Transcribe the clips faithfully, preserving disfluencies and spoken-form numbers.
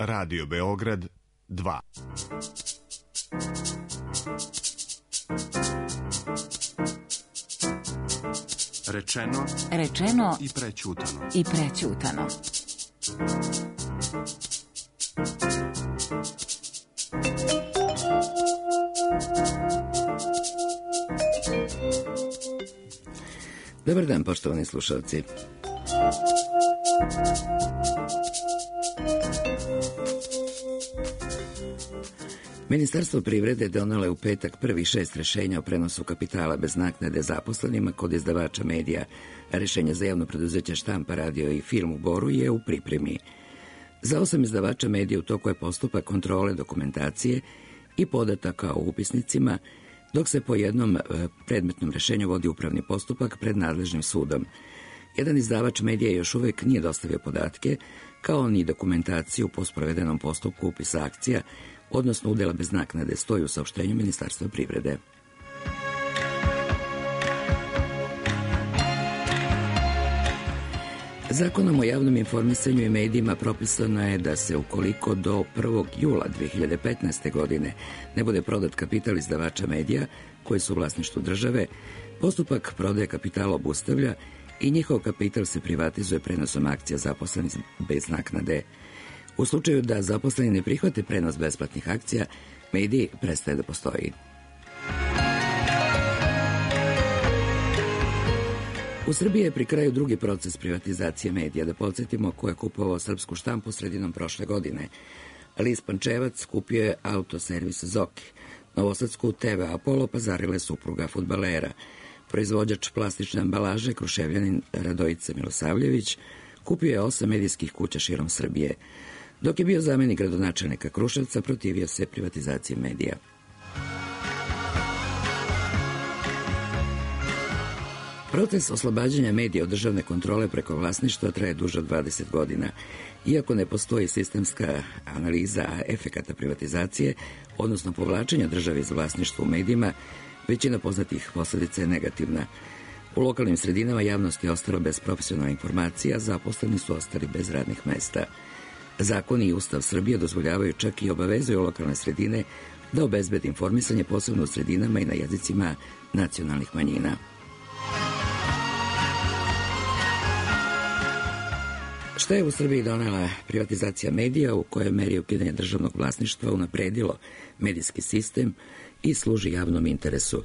Radio Beograd dva. Rečeno, rečeno i prećutano. I prećutano. Dobar dan, poštovani slušalci. Ministarstvo privrede donelo je u petak prvih šest rešenja o prenosu kapitala bez naknade zaposlenima kod izdavača medija, a rešenje za javno preduzeće Štampa, radio i film u Boru je u pripremi. Za osam izdavača medija u toku je postupak kontrole dokumentacije i podataka o upisnicima, dok se po jednom predmetnom rešenju vodi upravni postupak pred nadležnim sudom. Jedan izdavač medija još uvek nije dostavio podatke, kao ni dokumentaciju po sprovedenom postupku upisa akcija, odnosno udela bez naknade, stoji u saopštenju Ministarstva privrede. Zakonom o javnom informisanju i medijima propisano je da se ukoliko do prvog jula dve hiljade petnaeste. godine ne bude prodat kapital izdavača medija koji su u vlasništvu države, postupak prodaje kapitala obustavlja i njihov kapital se privatizuje prenosom akcija zaposlenih bez naknade. U slučaju da zaposleni ne prihvate prenos besplatnih akcija, medij prestaje da postoji. U Srbiji je pri kraju drugi proces privatizacije medija. Da podsjetimo ko je kupovao Srpsku štampu sredinom prošle godine. List Pančevac kupio je autoservis Zoki. Novosadsku te ve Apollo pazarile supruga fudbalera. Proizvođač plastične ambalaže Kruševljanin Radojica Milosavljević kupio je osam medijskih kuća širom Srbije. Dok je bio zamenik gradonačelnika Kruševca, protivio se privatizaciji medija. Proces oslobađanja medija od državne kontrole preko vlasništva traje duže od dvadeset godina. Iako ne postoji sistemska analiza efekata privatizacije, odnosno povlačenja države iz vlasništva u medijima, većina poznatih posledica je negativna. U lokalnim sredinama javnost je ostala bez profesionalne informacija, zaposleni su ostali bez radnih mesta. Zakoni i Ustav Srbije dozvoljavaju čak i obavezuju lokalne sredine da obezbede informisanje posebno u sredinama i na jezicima nacionalnih manjina. Šta je u Srbiji donela privatizacija medija, u kojoj meri ukidanje državnog vlasništva unapredilo medijski sistem i služi javnom interesu?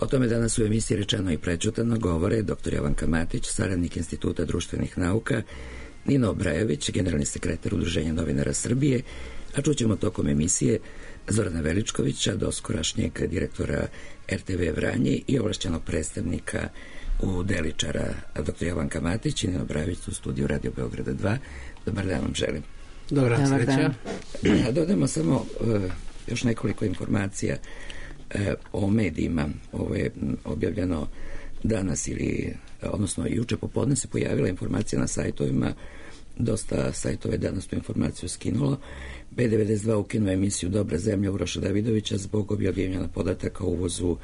O tome danas u emisiji Rečeno i prećutano govore dr Jovanka Matić, saradnik Instituta društvenih nauka, Nino Obrajović, generalni sekretar Udruženja novinara Srbije, a čućemo tokom emisije Zorana Veličkovića, doskorašnjeg direktora er te ve Vranje i ovlašćenog predstavnika u Deličara, dr Jovanka Matić i Nino Obrajović u studiju Radio Beograda dva. Dobar dan vam želim. Dobar sreća. Dodajemo samo uh, još nekoliko informacija uh, o medijima. Ovo je objavljeno danas ili, odnosno juče popodne se pojavila informacija na sajtovima. Dosta sajtova je danas tu informaciju skinulo. be devedeset dva ukinuo emisiju Dobra zemlja Uroša Davidovića zbog objavljivanja podataka o uvozu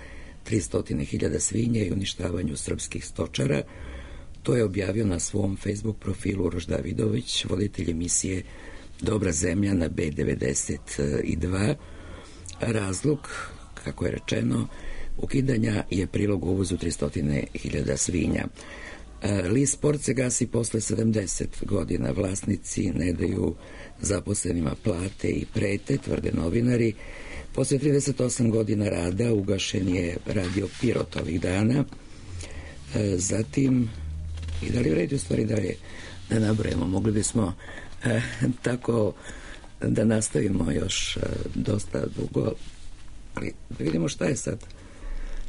tristo hiljada svinja i uništavanju srpskih stočara. To je objavio na svom Facebook profilu Uroš Davidović, voditelj emisije Dobra zemlja na be devedeset dva. Razlog, kako je rečeno, ukidanja je prilog o uvozu tristo hiljada svinja. List Sport se gasi posle sedamdeset godina. Vlasnici ne daju zaposlenima plate i prete, tvrde novinari. Posle trideset osam godina rada ugašen je radio Pirot ovih dana. Zatim, i da li vredi u stvari dalje da nabrojemo, mogli bismo eh, tako da nastavimo još eh, dosta dugo, ali da vidimo šta je sad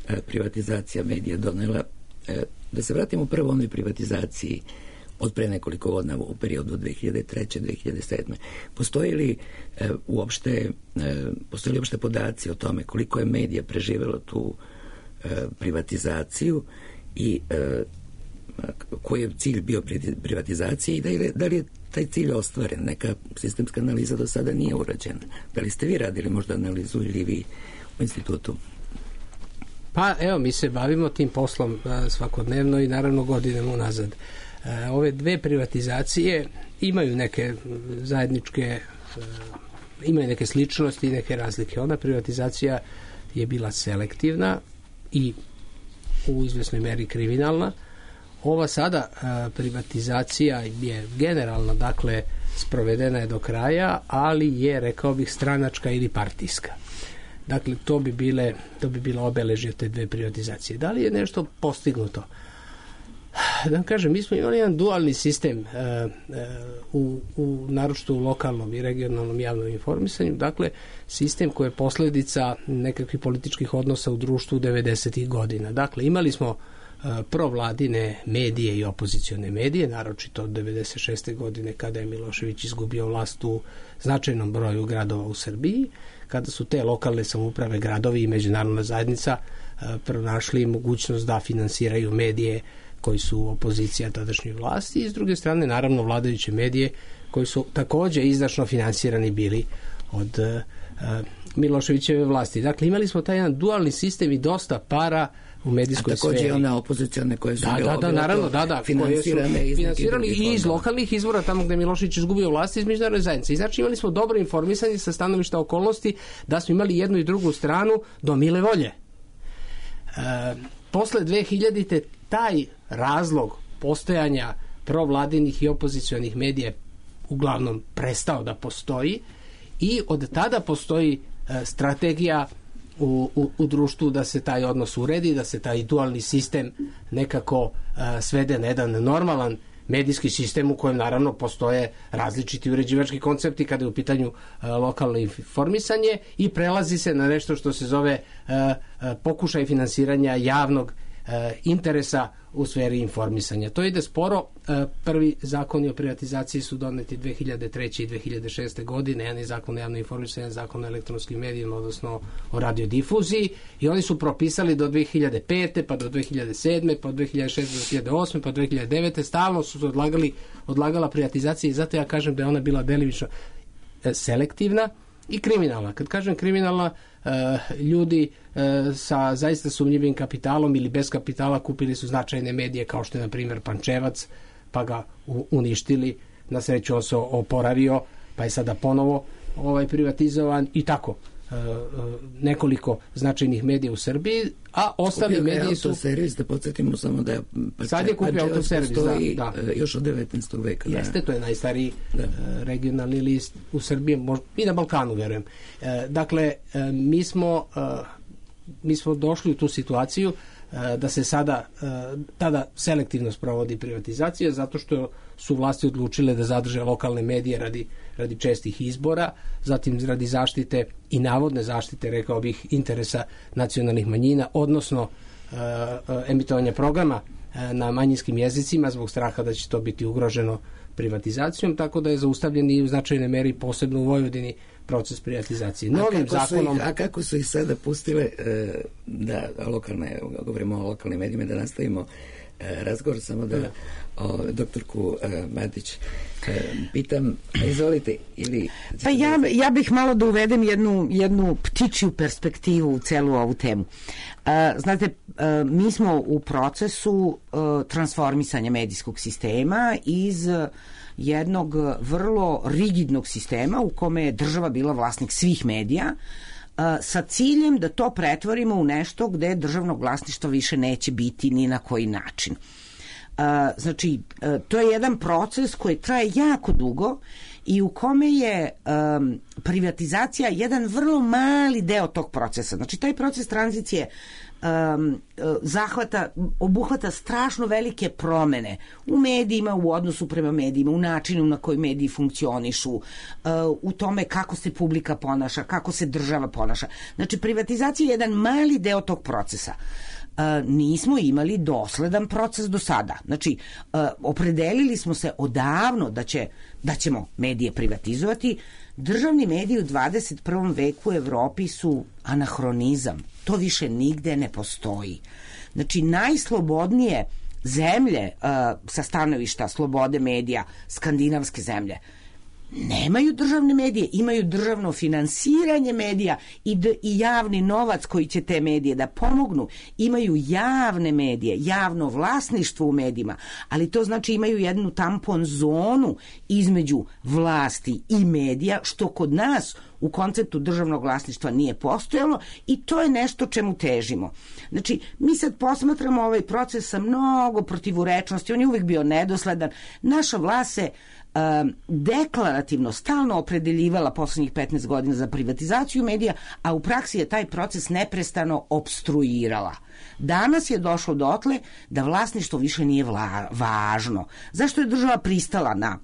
eh, privatizacija medija donela. Eh, da se vratimo prvo onoj privatizaciji od pre nekoliko godina u periodu dve hiljade treće do dve hiljade sedme. Postoji li e, uopšte, e, postoji li uopšte podaci o tome koliko je medija preživelo tu e, privatizaciju i e, koji je cilj bio privatizacije i da li, da li je taj cilj ostvaren? Neka sistemska analiza do sada nije urađena. Da li ste vi radili možda analizu ili vi u institutu? Pa evo, mi se bavimo tim poslom svakodnevno i naravno godinama unazad. Ove dve privatizacije imaju neke zajedničke imaju neke sličnosti i neke razlike. Ona privatizacija je bila selektivna i u izvesnoj meri kriminalna. Ova sada a, privatizacija je generalno, dakle, sprovedena je do kraja, ali je, rekao bih, stranačka ili partijska. Dakle, to bi bile, to bi bilo obeležje te dve privatizacije. Da li je nešto postignuto? Da vam kažem, mi smo imali jedan dualni sistem uh, uh, u, u naročito u lokalnom i regionalnom javnom informisanju, dakle sistem koji je posljedica nekakvih političkih odnosa u društvu devedesetih godina. Dakle, imali smo uh, provladine medije i opozicione medije, naročito od devedeset šeste godine kada je Milošević izgubio vlast u značajnom broju gradova u Srbiji, kada su te lokalne samouprave, gradovi i međunarodna zajednica uh, pronašli mogućnost da finansiraju medije koji su opozicija tadašnjoj vlasti i s druge strane naravno vladajuće medije koji su također izdašno finansirani bili od uh, Miloševićeve vlasti. Dakle, imali smo taj jedan dualni sistem i dosta para u medijskoj A također sferi. Također one opozicione koje su da, da, da, naravno, da, da, finansirane iz finansirali i iz lokalnih izvora tamo gde je Milošević izgubio vlast iz međunarodne zajednice. I znači imali smo dobro informisanje sa stanovišta okolnosti da smo imali jednu i drugu stranu do mile volje. E, posle dve hiljadite taj razlog postojanja provladinih i opozicionih medija uglavnom prestao da postoji i od tada postoji e, strategija u, u, u društvu da se taj odnos uredi, da se taj dualni sistem nekako e, svede na jedan normalan medijski sistem u kojem naravno postoje različiti uređivački koncepti kada je u pitanju e, lokalno informisanje i prelazi se na nešto što se zove e, e, pokušaj finansiranja javnog e, interesa u sferi informisanja. To ide sporo. E, prvi zakoni o privatizaciji su doneti dve hiljade treće i dve hiljade šeste godine. Jedan je zakon o javnom informisanju, jedan zakon o elektronskim medijima, odnosno o radiodifuziji, i oni su propisali do dve hiljade pete, pa do dve hiljade sedme, pa do dve hiljade šeste, do dve hiljade osme, pa do dve hiljade devete. Stalno su se odlagali, odlagala privatizacija i zato ja kažem da je ona bila delimično e, selektivna i kriminalna. Kad kažem kriminalna, uh, ljudi uh, sa zaista sumnjivim kapitalom ili bez kapitala kupili su značajne medije kao što je na primjer Pančevac, pa ga u, uništili. Na sreću on se oporavio, pa je sada ponovo ovaj privatizovan i tako. Uh, uh, nekoliko značajnih medija u Srbiji, a ostali kupio mediji su... Autoservis, da podsjetimo samo da je... Pa sad je kupio Autoservis, da, da. Još od devetnaestog veka. Jeste, da. To je najstariji da. uh, regionalni list u Srbiji, možda, i na Balkanu, verujem. Uh, dakle, uh, mi smo uh, mi smo došli u tu situaciju uh, da se sada uh, tada selektivno sprovodi privatizacija zato što su vlasti odlučile da zadrže lokalne medije radi, radi čestih izbora, zatim radi zaštite i navodne zaštite, rekao bih, interesa nacionalnih manjina, odnosno uh, uh, emitovanja programa uh, na manjinskim jezicima zbog straha da će to biti ugroženo privatizacijom, tako da je zaustavljen i u značajnoj meri, posebno u Vojvodini, proces privatizacije. Novim a, zakonom... ih, a kako su ih sada pustile e, da lokalne, govorimo o lokalnim medijima, da nastavimo e, razgovor, samo da o, doktorku e, Matić e, pitam, izvolite, ili... Pa ja, ja bih malo da uvedem jednu, jednu ptičju perspektivu u celu ovu temu. E, znate, e, mi smo u procesu e, transformisanja medijskog sistema iz jednog vrlo rigidnog sistema u kome je država bila vlasnik svih medija, sa ciljem da to pretvorimo u nešto gde državnog vlasništva više neće biti ni na koji način. Znači, to je jedan proces koji traje jako dugo i u kome je um, privatizacija jedan vrlo mali deo tog procesa. Znači, taj proces tranzicije um, zahvata, obuhvata strašno velike promene u medijima, u odnosu prema medijima, u načinu na koji mediji funkcionišu, uh, u tome kako se publika ponaša, kako se država ponaša. Znači, privatizacija je jedan mali deo tog procesa. Uh, nismo imali dosledan proces do sada. Znači, uh, opredelili smo se odavno da, će, da ćemo medije privatizovati. Državni mediji u dvadeset prvom veku u Evropi su anahronizam. To više nigde ne postoji. Znači, najslobodnije zemlje uh, sa stanovišta slobode medija, skandinavske zemlje, nemaju državne medije, imaju državno finansiranje medija i, d, i javni novac koji će te medije da pomognu. Imaju javne medije, javno vlasništvo u medijima, ali to znači imaju jednu tampon zonu između vlasti i medija, što kod nas u konceptu državnog vlasništva nije postojalo i to je nešto čemu težimo. Znači, mi sad posmatramo ovaj proces sa mnogo protivurečnosti, on je uvijek bio nedosledan. Naša vlast se Um, deklarativno stalno opredeljivala poslednjih petnaest godina za privatizaciju medija, a u praksi je taj proces neprestano opstruirala. Danas je došlo dotle da vlasništvo više nije vla, važno. Zašto je država pristala na,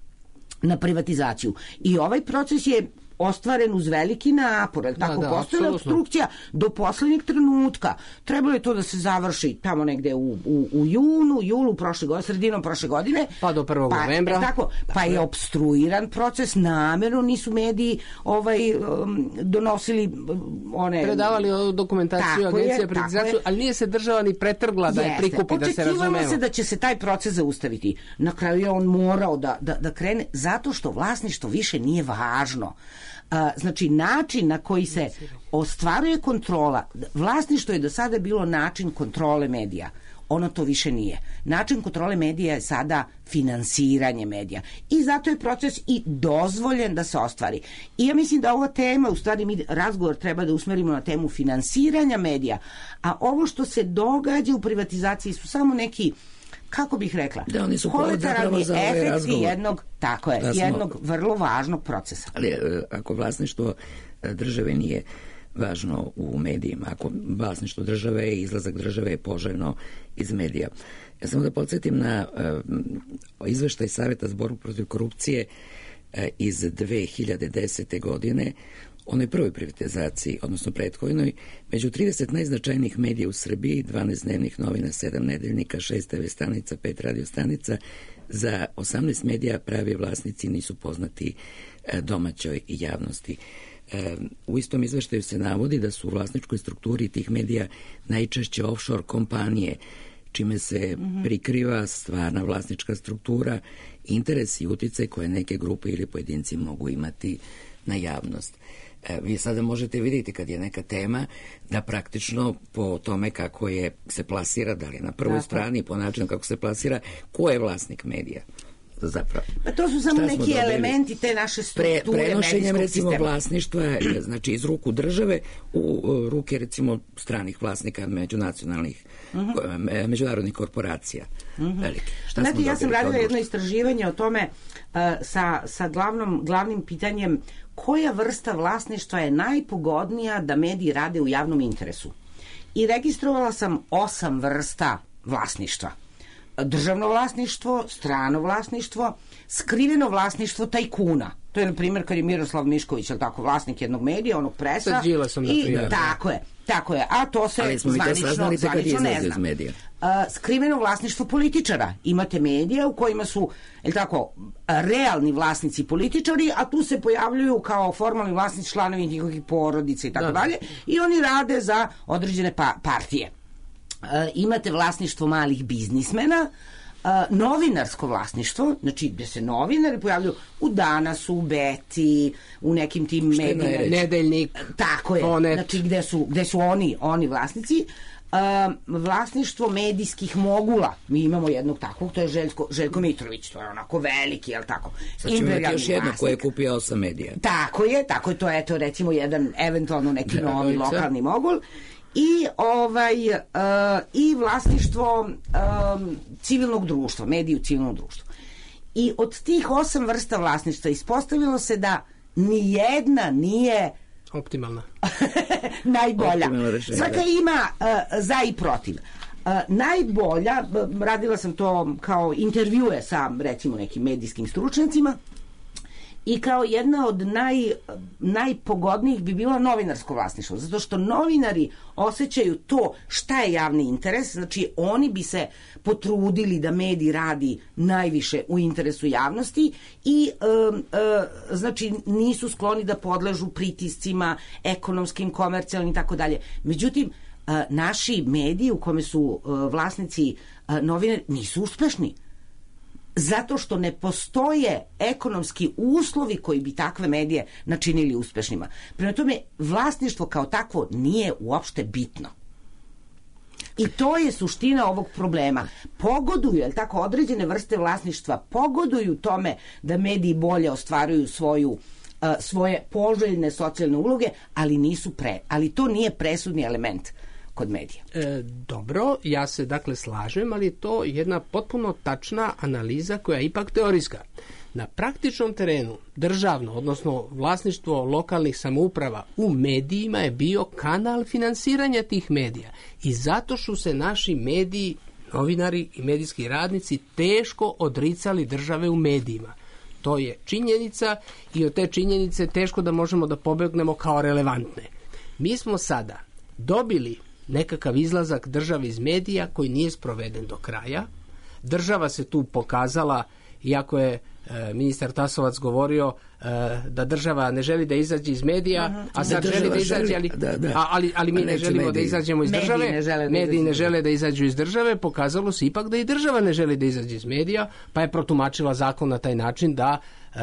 na privatizaciju? I ovaj proces je ostvaren uz veliki napor, da, tako da, postojala obstrukcija do poslednjeg trenutka. Trebalo je to da se završi tamo negde u, u, u junu, julu prošle godine, sredinom prošle godine. Pa do prvog pa, novembra. Tako, pa tako je obstruiran proces, namerno nisu mediji ovaj, um, donosili one... predavali dokumentaciju agencija privatizaciju, ali nije se država ni pretrgla da je prikupi, da se razumemo. Očekivalo se da će se taj proces zaustaviti. Na kraju je on morao da, da, da krene, zato što vlasništvo više nije važno. A, znači, način na koji se ostvaruje kontrola, vlasništvo je do sada bilo način kontrole medija. Ono to više nije. Način kontrole medija je sada finansiranje medija. I zato je proces i dozvoljen da se ostvari. I ja mislim da ova tema, u stvari mi razgovor treba da usmerimo na temu finansiranja medija, a ovo što se događa u privatizaciji su samo neki, kako bih rekla, da, oni su kolateralni za ovaj efekti jednog, tako je, da smo, jednog vrlo važnog procesa. Ali ako vlasništvo države nije važno u medijima, ako vlasništvo države i izlazak države je poželjno iz medija. Ja samo da podsjetim na uh, izveštaj Saveta za borbu protiv korupcije uh, iz dve hiljade desete. godine, onoj prvoj privatizaciji, odnosno prethodnoj, među trideset najznačajnijih medija u Srbiji, dvanaest dnevnih novina, sedam nedeljnika, šest te ve stanica, pet radio stanica, za osamnaest medija pravi vlasnici nisu poznati domaćoj javnosti. U istom izveštaju se navodi da su u vlasničkoj strukturi tih medija najčešće offshore kompanije, čime se prikriva stvarna vlasnička struktura, interes i uticaj koje neke grupe ili pojedinci mogu imati na javnost. E, vi sada možete vidjeti kad je neka tema da praktično po tome kako je se plasira, da li je na prvoj Tako. strani, po načinu kako se plasira, ko je vlasnik medija zapravo. Pa to su samo neki elementi te naše strukture. Pre, prenošenjem recimo sistema. Vlasništva, znači iz ruku države u ruke recimo stranih vlasnika međunacionalnih, uh-huh. međunarodnih korporacija. Uh-huh. Velike. Šta Znate, ja sam radila jedno istraživanje o tome uh, sa, sa glavnom, glavnim pitanjem koja vrsta vlasništva je najpogodnija da mediji rade u javnom interesu. I registrovala sam osam vrsta vlasništva. Državno vlasništvo, strano vlasništvo, skriveno vlasništvo tajkuna. To je, na primjer, kad je Miroslav Mišković, je li tako, vlasnik jednog medija, onog presa. Sa Đilasom, na primjer. I tako je, tako je. A to se zvanično, zvanično ne zna. Uh, skriveno vlasništvo političara. Imate medije u kojima su, je li tako, realni vlasnici političari, a tu se pojavljuju kao formalni vlasnici članovi njihovih porodica i tako dalje. I oni rade za određene pa- partije. Uh, imate vlasništvo malih biznismena, uh, novinarsko vlasništvo, znači gde se novinari pojavljuju u Danasu, u Beti, u nekim tim medijima. Nedeljnik, tako je, Ponet. Znači gde su, gde su oni, oni vlasnici. Uh, vlasništvo medijskih mogula. Mi imamo jednog takvog, to je Željko, Željko Mitrović, to je onako veliki, jel tako? Sad ćemo imati još jedno koje je kupio osam medija. Tako je, tako je, to je to recimo jedan, eventualno neki da, novi dojca. Lokalni mogul. I ovaj uh, i vlasništvo um, civilnog društva, mediji u civilnom društvu. I od tih osam vrsta vlasništva ispostavilo se da ni jedna nije optimalna. najbolja. Svaka ima uh, za i protiv. Uh, najbolja, radila sam to kao intervjue sa recimo nekim medijskim stručnjacima, i kao jedna od naj, najpogodnijih bi bilo novinarsko vlasništvo, zato što novinari osjećaju to šta je javni interes, znači oni bi se potrudili da medij radi najviše u interesu javnosti i e, e, znači nisu skloni da podležu pritiscima ekonomskim, komercijalnim i tako dalje. Međutim, e, naši mediji u kome su e, vlasnici e, novinari nisu uspešni. zato što ne postoje ekonomski uslovi koji bi takve medije načinili uspešnima. Prema tome, vlasništvo kao takvo nije uopšte bitno. I to je suština ovog problema. Pogoduju, jel tako, određene vrste vlasništva pogoduju tome da mediji bolje ostvaruju svoju svoje poželjne socijalne uloge, ali nisu pre, ali to nije presudni element kod medija. E, dobro, ja se dakle slažem, ali je to jedna potpuno tačna analiza koja je ipak teorijska. Na praktičnom terenu državno, odnosno vlasništvo lokalnih samouprava u medijima je bio kanal finansiranja tih medija i zato su se naši mediji, novinari i medijski radnici teško odricali države u medijima. To je činjenica i od te činjenice teško da možemo da pobegnemo kao relevantne. Mi smo sada dobili nekakav izlazak države iz medija koji nije sproveden do kraja. Država se tu pokazala, iako je e, ministar Tasovac govorio e, da država ne želi da izađe iz medija, uh-huh. a sad želi da izađe, ali, da, da. A, ali, ali mi ne želimo mediji. da izađemo iz države. Mediji ne žele da, mediji ne žele da izađu iz države. Pokazalo se ipak da i država ne želi da izađe iz medija, pa je protumačila zakon na taj način da e,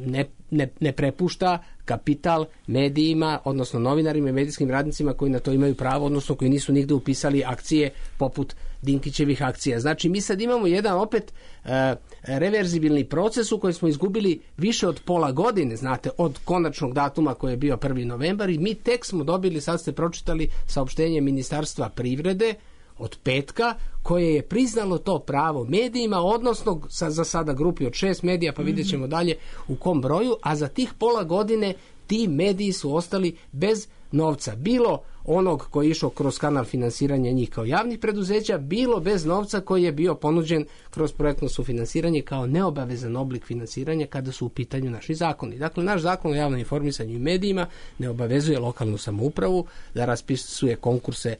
ne, ne, ne prepušta kapital medijima, odnosno novinarima i medijskim radnicima koji na to imaju pravo, odnosno koji nisu nigde upisali akcije poput Dinkićevih akcija. Znači, mi sad imamo jedan opet e, reverzibilni proces u kojem smo izgubili više od pola godine, znate, od konačnog datuma koji je bio prvi novembar i mi tek smo dobili, sad ste pročitali saopštenje Ministarstva privrede od petka, koje je priznalo to pravo medijima, odnosno sa, za sada grupi od šest medija, pa vidjet ćemo dalje u kom broju, a za tih pola godine ti mediji su ostali bez novca. Bilo onog koji je išao kroz kanal finansiranja njih kao javnih preduzeća, bilo bez novca koji je bio ponuđen kroz projektno sufinansiranje kao neobavezan oblik finansiranja kada su u pitanju naši zakoni. Dakle, naš zakon o javnom informisanju i medijima ne obavezuje lokalnu samoupravu da raspisuje konkurse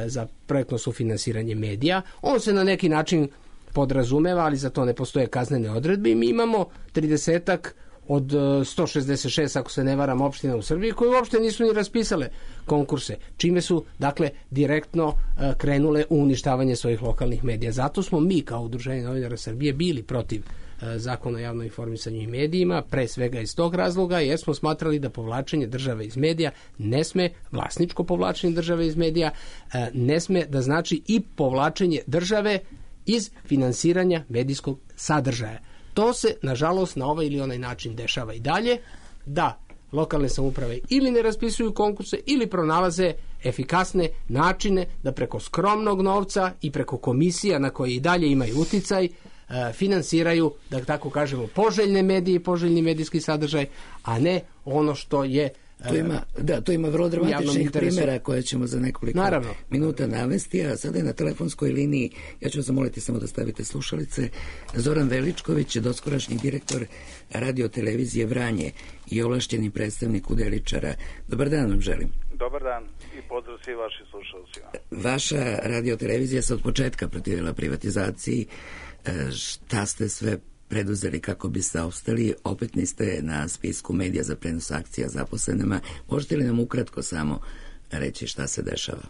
za projektno sufinansiranje medija. On se na neki način podrazumeva, ali za to ne postoje kaznene odredbe i mi imamo tridesetak od sto šezdeset šest, ako se ne varam, opština u Srbiji koje uopšte nisu ni raspisale konkurse, čime su, dakle, direktno krenule u uništavanje svojih lokalnih medija. Zato smo mi, kao Udruženje novinara Srbije, bili protiv zakona o javnom informisanju i medijima, pre svega iz tog razloga, jer smo smatrali da povlačenje države iz medija ne sme, vlasničko povlačenje države iz medija, ne sme da znači i povlačenje države iz finansiranja medijskog sadržaja. To se, nažalost, na ovaj ili onaj način dešava i dalje, da lokalne samouprave ili ne raspisuju konkurse ili pronalaze efikasne načine da preko skromnog novca i preko komisija na koje i dalje imaju uticaj finansiraju, da tako kažemo, poželjne medije i poželjni medijski sadržaj, a ne ono što je To ima, da, to ima vrlo dramatičnih primjera koje ćemo za nekoliko Naravno. minuta navesti, a sada je na telefonskoj liniji, ja ću vas zamoliti samo da stavite slušalice, Zoran Veličković, doskorašnji direktor radio televizije Vranje i ovlašćeni predstavnik udeličara. Dobar dan vam želim. Dobar dan i pozdrav svi vaši slušalcima. Vaša radio televizija se od početka protivila privatizaciji. Šta ste sve preduzeli kako biste opstali? Opet niste na spisku medija za prenos akcija zaposlenima. Možete li nam ukratko samo reći šta se dešava?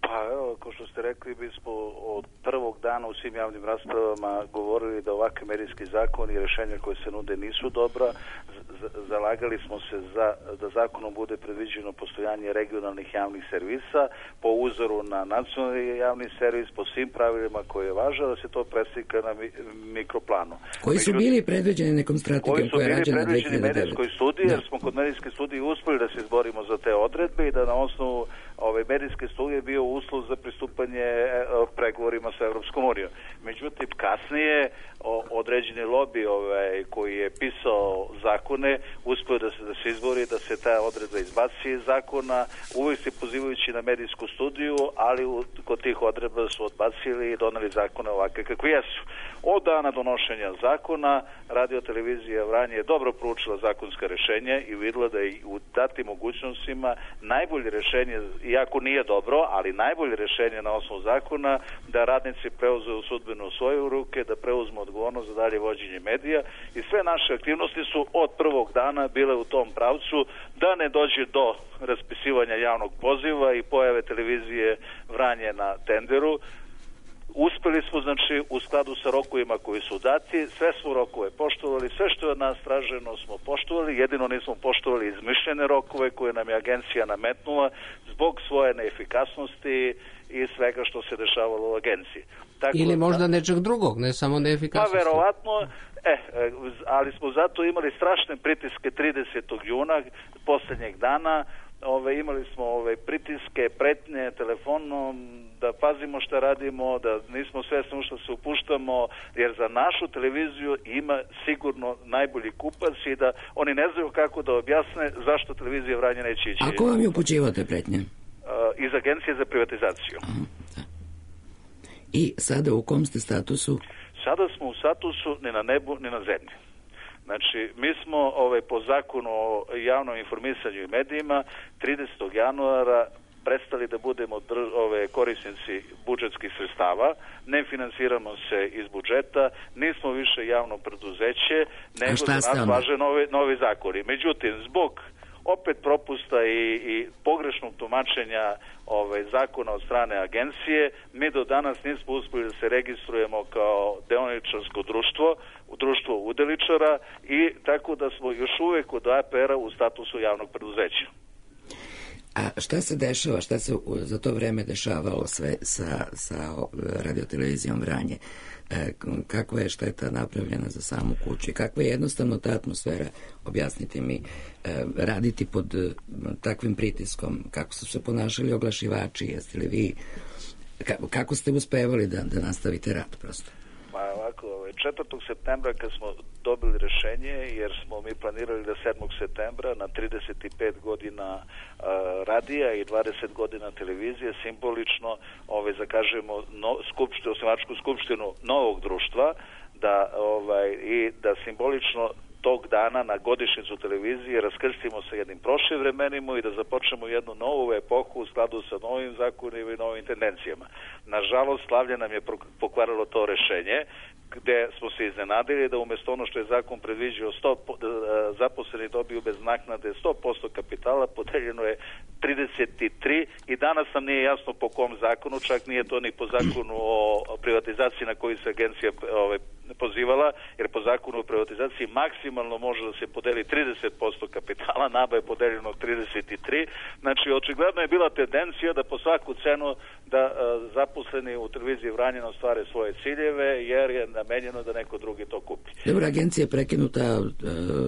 Pa evo, kao što ste rekli, mi smo od prvog dana u svim javnim raspravama govorili da ovakve medijski zakoni i rješenja koje se nude nisu dobra. Zalagali smo se za, da zakonom bude predviđeno postojanje regionalnih javnih servisa po uzoru na nacionalni javni servis, po svim pravilima koje je važno, da se to preslika na mi, mikroplanu. Koji su bili predviđeni nekom strategijom koja je rađena dve hiljade devete? Koji su bili predviđeni medijskoj studiji, jer smo kod medijske studije uspjeli da se izborimo za te odredbe i da na osnovu ove medijske studije bio uslov za pristupanje pregovorima sa Evropskom unijom. Međutim, kasnije o, određeni lobi ovaj, koji je pisao zakone uspio da se, da se izbori, da se ta odredba izbaci iz zakona, uvijek se pozivajući na medijsku studiju, ali u, kod tih odredba su odbacili i doneli zakone ovakve kakvi jesu. Od dana donošenja zakona radio televizija Vranje je dobro proučila zakonska rješenja i vidjela da je u datim mogućnostima najbolje rješenje, iako nije dobro, ali najbolje rješenje na osnovu zakona da radnici preuzmu sudbinu u svoje ruke, da preuzmu odgovornost za dalje vođenje medija i sve naše aktivnosti su od prvog dana bile u tom pravcu da ne dođe do raspisivanja javnog poziva i pojave televizije Vranje na tenderu. uspeli smo, znači, u skladu sa rokovima koji su dati, sve smo rokove poštovali, sve što je od nas traženo smo poštovali, jedino nismo poštovali izmišljene rokove koje nam je agencija nametnula zbog svoje neefikasnosti i svega što se dešavalo u agenciji. Tako Ili da, možda nečeg drugog, ne samo neefikasnosti. Pa verovatno, e, ali smo zato imali strašne pritiske tridesetog juna, posljednjeg dana, ove, imali smo ove pritiske, pretnje telefonom, da pazimo šta radimo, da nismo svesni u što se upuštamo, jer za našu televiziju ima sigurno najbolji kupac i da oni ne znaju kako da objasne zašto televizija Vranje neće ići. A ko vam je upućivao te pretnje? Uh, iz Agencije za privatizaciju. Aha, da. I sada u kom ste statusu? Sada smo u statusu ni na nebu, ni na zemlji. Znači, mi smo ovaj, po zakonu o javnom informisanju i medijima tridesetog januara prestali da budemo dr, ove, korisnici budžetskih sredstava, ne finansiramo se iz budžeta, nismo više javno preduzeće, nego za nas važe novi, novi zakoni. Međutim, zbog opet propusta i, i pogrešnog tumačenja ovaj, zakona od strane agencije, mi do danas nismo uspjeli da se registrujemo kao deoničarsko društvo, u društvo udeličara i tako da smo još uvek od A P R-a u statusu javnog preduzeća. A šta se dešava, šta se za to vreme dešavalo sve sa, sa radiotelevizijom Vranje? E, kakva je šteta napravljena za samu kuću? Kakva je jednostavno ta atmosfera? Objasnite mi, e, raditi pod e, takvim pritiskom, kako su se ponašali oglašivači, jeste li vi, ka, kako ste uspevali da, da nastavite rad prosto? Pa ovako, četvrtog septembra kad smo dobili rešenje, jer smo mi planirali da sedmog septembra na trideset pet godina uh, radija i dvadeset godina televizije simbolično ovaj, zakažemo no, skupštinu, osnivačku skupštinu novog društva da, ovaj, i da simbolično tog dana na godišnjicu televizije raskrstimo sa jednim prošlim vremenima i da započnemo jednu novu epohu u skladu sa novim zakonima i novim tendencijama. Nažalost, slavlje nam je pokvarilo to rešenje, gde smo se iznenadili da umjesto ono što je zakon predviđao sto zaposleni dobiju bez naknade sto posto kapitala, podeljeno je trideset tri i danas nam nije jasno po kom zakonu, čak nije to ni po zakonu o privatizaciji na koji se agencija ovaj, pozivala, jer po zakonu o privatizaciji maksimalno može da se podeli trideset posto kapitala, naba je podeljeno trideset tri, znači očigledno je bila tendencija da po svaku cenu da uh, zaposleni u televiziji Vranje ostvare svoje ciljeve, jer je namenjeno da neko drugi to kupi. Dobro, agencija je prekinuta, uh,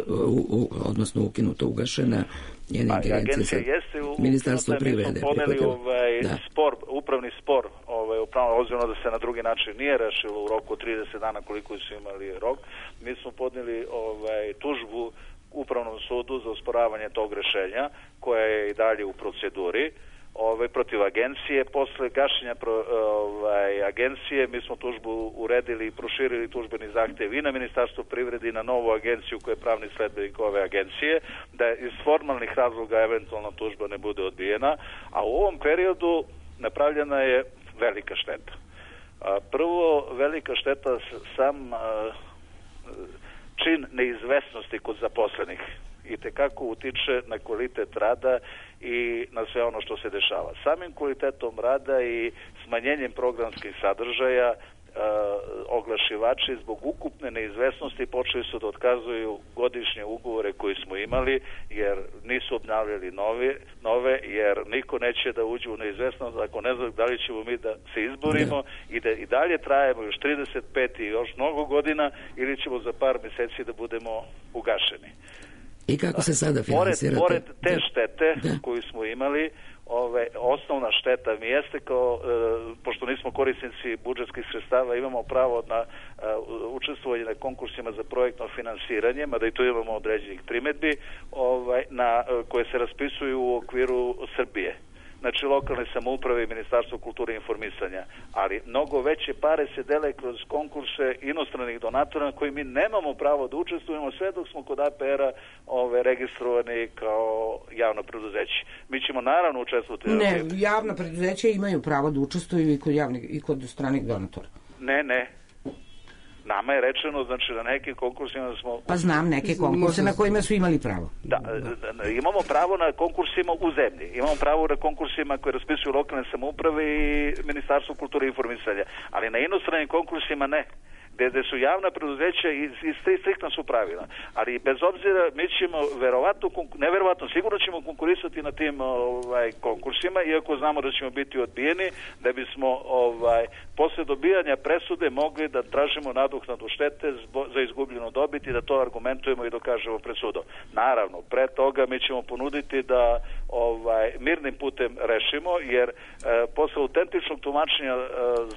u, u, odnosno ukinuta, ugašena, njene ingerencije sa Ministarstvo privrede. Mi smo poneli ovaj, spor, upravni spor, ovaj, upravno ozbiljno da se na drugi način nije rešilo u roku trideset dana koliko su imali rok. Mi smo podneli ovaj, tužbu Upravnom sudu za osporavanje tog rešenja, koja je i dalje u proceduri. Ovaj, protiv agencije. Posle gašenja pro, ovaj, agencije mi smo tužbu uredili i proširili tužbeni zahtev i na Ministarstvo privrede i na novu agenciju koja je pravni sledbenik ove agencije, da iz formalnih razloga eventualna tužba ne bude odbijena, a u ovom periodu napravljena je velika šteta. Prvo, velika šteta sam čin neizvesnosti kod zaposlenih i tekako utiče na kvalitet rada i na sve ono što se dešava. Samim kvalitetom rada i smanjenjem programskih sadržaja Uh, oglašivači zbog ukupne neizvesnosti počeli su da otkazuju godišnje ugovore koje smo imali, jer nisu obnavljali nove, nove jer niko neće da uđe u neizvesnost ako ne zna da li ćemo mi da se izborimo i da i dalje trajemo još trideset pet i još mnogo godina ili ćemo za par meseci da budemo ugašeni. I kako se sada finansirate? Pored, pored te štete da. koju smo imali, Ove, osnovna šteta mi jeste kao, e, pošto nismo korisnici budžetskih sredstava, imamo pravo na e, učestvovanje na konkursima za projektno finansiranje, mada i tu imamo određenih primetbi, ovaj, na, koje se raspisuju u okviru Srbije. Znači lokalne samouprave i Ministarstvo kulture i informisanja, ali mnogo veće pare se dele kroz konkurse inostranih donatora na koji mi nemamo pravo da učestvujemo sve dok smo kod A P R-a ove, registrovani kao javno preduzeće. Mi ćemo naravno učestvovati. Ne, javna preduzeća imaju pravo da učestvuju i kod, javnih, i kod stranih donatora. Ne, ne. nama je rečeno, znači na nekim konkursima smo... Pa znam neke konkurse na kojima su imali pravo. Da, da, imamo pravo na konkursima u zemlji, imamo pravo na konkursima koje raspisuju lokalne samouprave i Ministarstvo kulture i informisanja, ali na inostranim konkursima ne. Gde su javna preduzeća i, i striktna su pravila. Ali bez obzira, mi ćemo verovatno, neverovatno, sigurno ćemo konkurisati na tim ovaj, konkursima, iako znamo da ćemo biti odbijeni, da bismo ovaj, posle dobijanja presude mogli da tražimo nadoknadu štete zbo, za izgubljenu dobit i da to argumentujemo i dokažemo pred sudom. Naravno, pre toga mi ćemo ponuditi da ovaj, mirnim putem rešimo, jer e, posle autentičnog tumačenja e,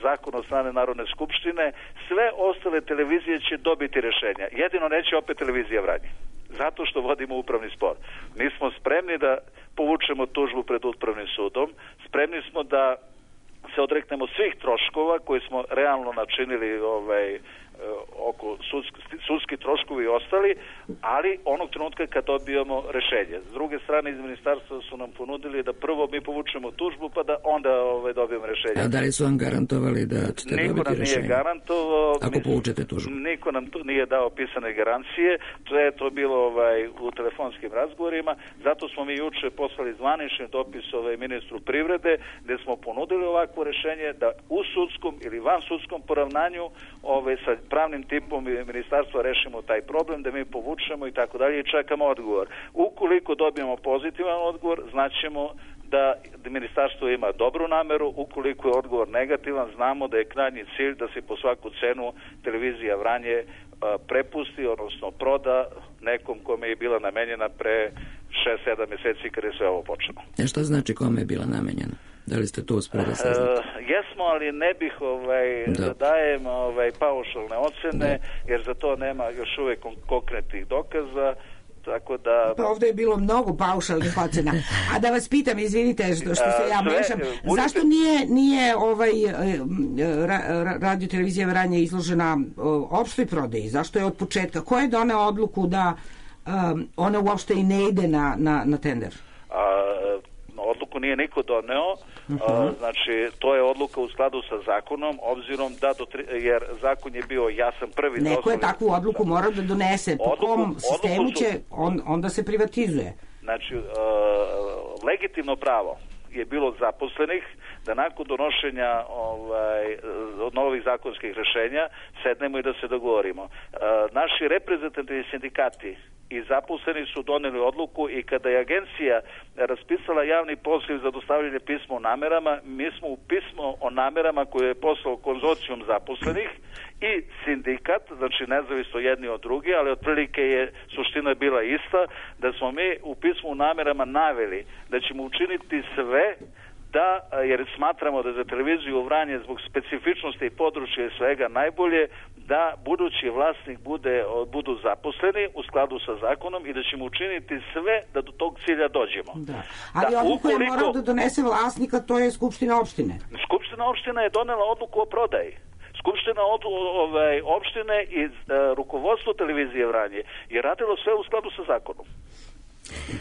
zakona od strane Narodne skupštine, sve ostale televizije će dobiti rešenja. Jedino neće opet televizija Vranje. Zato što vodimo upravni spor. Mi smo spremni da povučemo tužbu pred upravnim sudom, spremni smo da se odreknemo svih troškova koje smo realno načinili ovaj, oko sudski, sudski troškovi i ostali, ali onog trenutka kad dobijemo rešenje. S druge strane, iz ministarstva su nam ponudili da prvo mi povučemo tužbu, pa da onda ovaj, dobijemo rešenje. A da li su vam garantovali da ćete niko dobiti rešenje? Niko nam nije garantovao. Ako povučete tužbu? Niko nam tu nije dao pisane garancije. To je to bilo ovaj, u telefonskim razgovorima. Zato smo mi juče poslali zvanični dopis ovaj, ministru privrede, gde smo ponudili ovakvo rešenje da u sudskom ili van sudskom poravnanju ovaj, sa pravnim tipom i ministarstva rešimo taj problem, da mi povučemo i tako dalje i čekamo odgovor. Ukoliko dobijemo pozitivan odgovor, znaćemo da ministarstvo ima dobru nameru, ukoliko je odgovor negativan, znamo da je krajnji cilj da se po svaku cenu televizija Vranje a, prepusti, odnosno proda nekom kome je bila namenjena pre šest sedam meseci kada je sve ovo počelo. E šta znači kome je bila namenjena? Da li ste to uspeli da saznate? Uh, jesmo, ali ne bih ovaj, da. da dajem ovaj, paušalne ocene, da. Jer za to nema još uvek konkretnih dokaza, tako da... Pa ovdje je bilo mnogo paušalnih ocena. A da vas pitam, izvinite što, što se ja Sve, mešam, budite... zašto nije, nije ovaj, ra, radio televizija Vranje izložena opštoj prodaji? Zašto je od početka? Ko je doneo odluku da um, ona uopšte i ne ide na, na, na tender? A, odluku nije niko doneo, uh-huh. a, znači to je odluka u skladu sa zakonom, obzirom da do tri, jer zakon je bio jasan prvi. Neko je takvu odluku morao da donese, po odluku, kom sistemu su, će on, onda se privatizuje. Znači, uh, legitimno pravo je bilo zaposlenih da nakon donošenja ovaj, novih zakonskih rešenja sednemo i da se dogovorimo. Uh, naši reprezentativni sindikati i zaposleni su doneli odluku i kada je agencija raspisala javni poziv za dostavljanje pisma o namerama, mi smo u pismo o namerama koje je poslao konzorcijum zaposlenih i sindikat, znači nezavisno jedni od drugi, ali otprilike je suština bila ista, da smo mi u pismu o namerama naveli da ćemo učiniti sve da, jer smatramo da za televiziju Vranje zbog specifičnosti i područja i svega najbolje da budući vlasnik bude, budu zaposleni u skladu sa zakonom i da ćemo učiniti sve da do tog cilja dođemo. Da. Ali da, odluku ukoliko... je morao da donese vlasnika, to je Skupština opštine. Skupština opštine je donela odluku o prodaji. Skupština od, ovaj, opštine i uh, rukovodstvo televizije Vranje je radilo sve u skladu sa zakonom.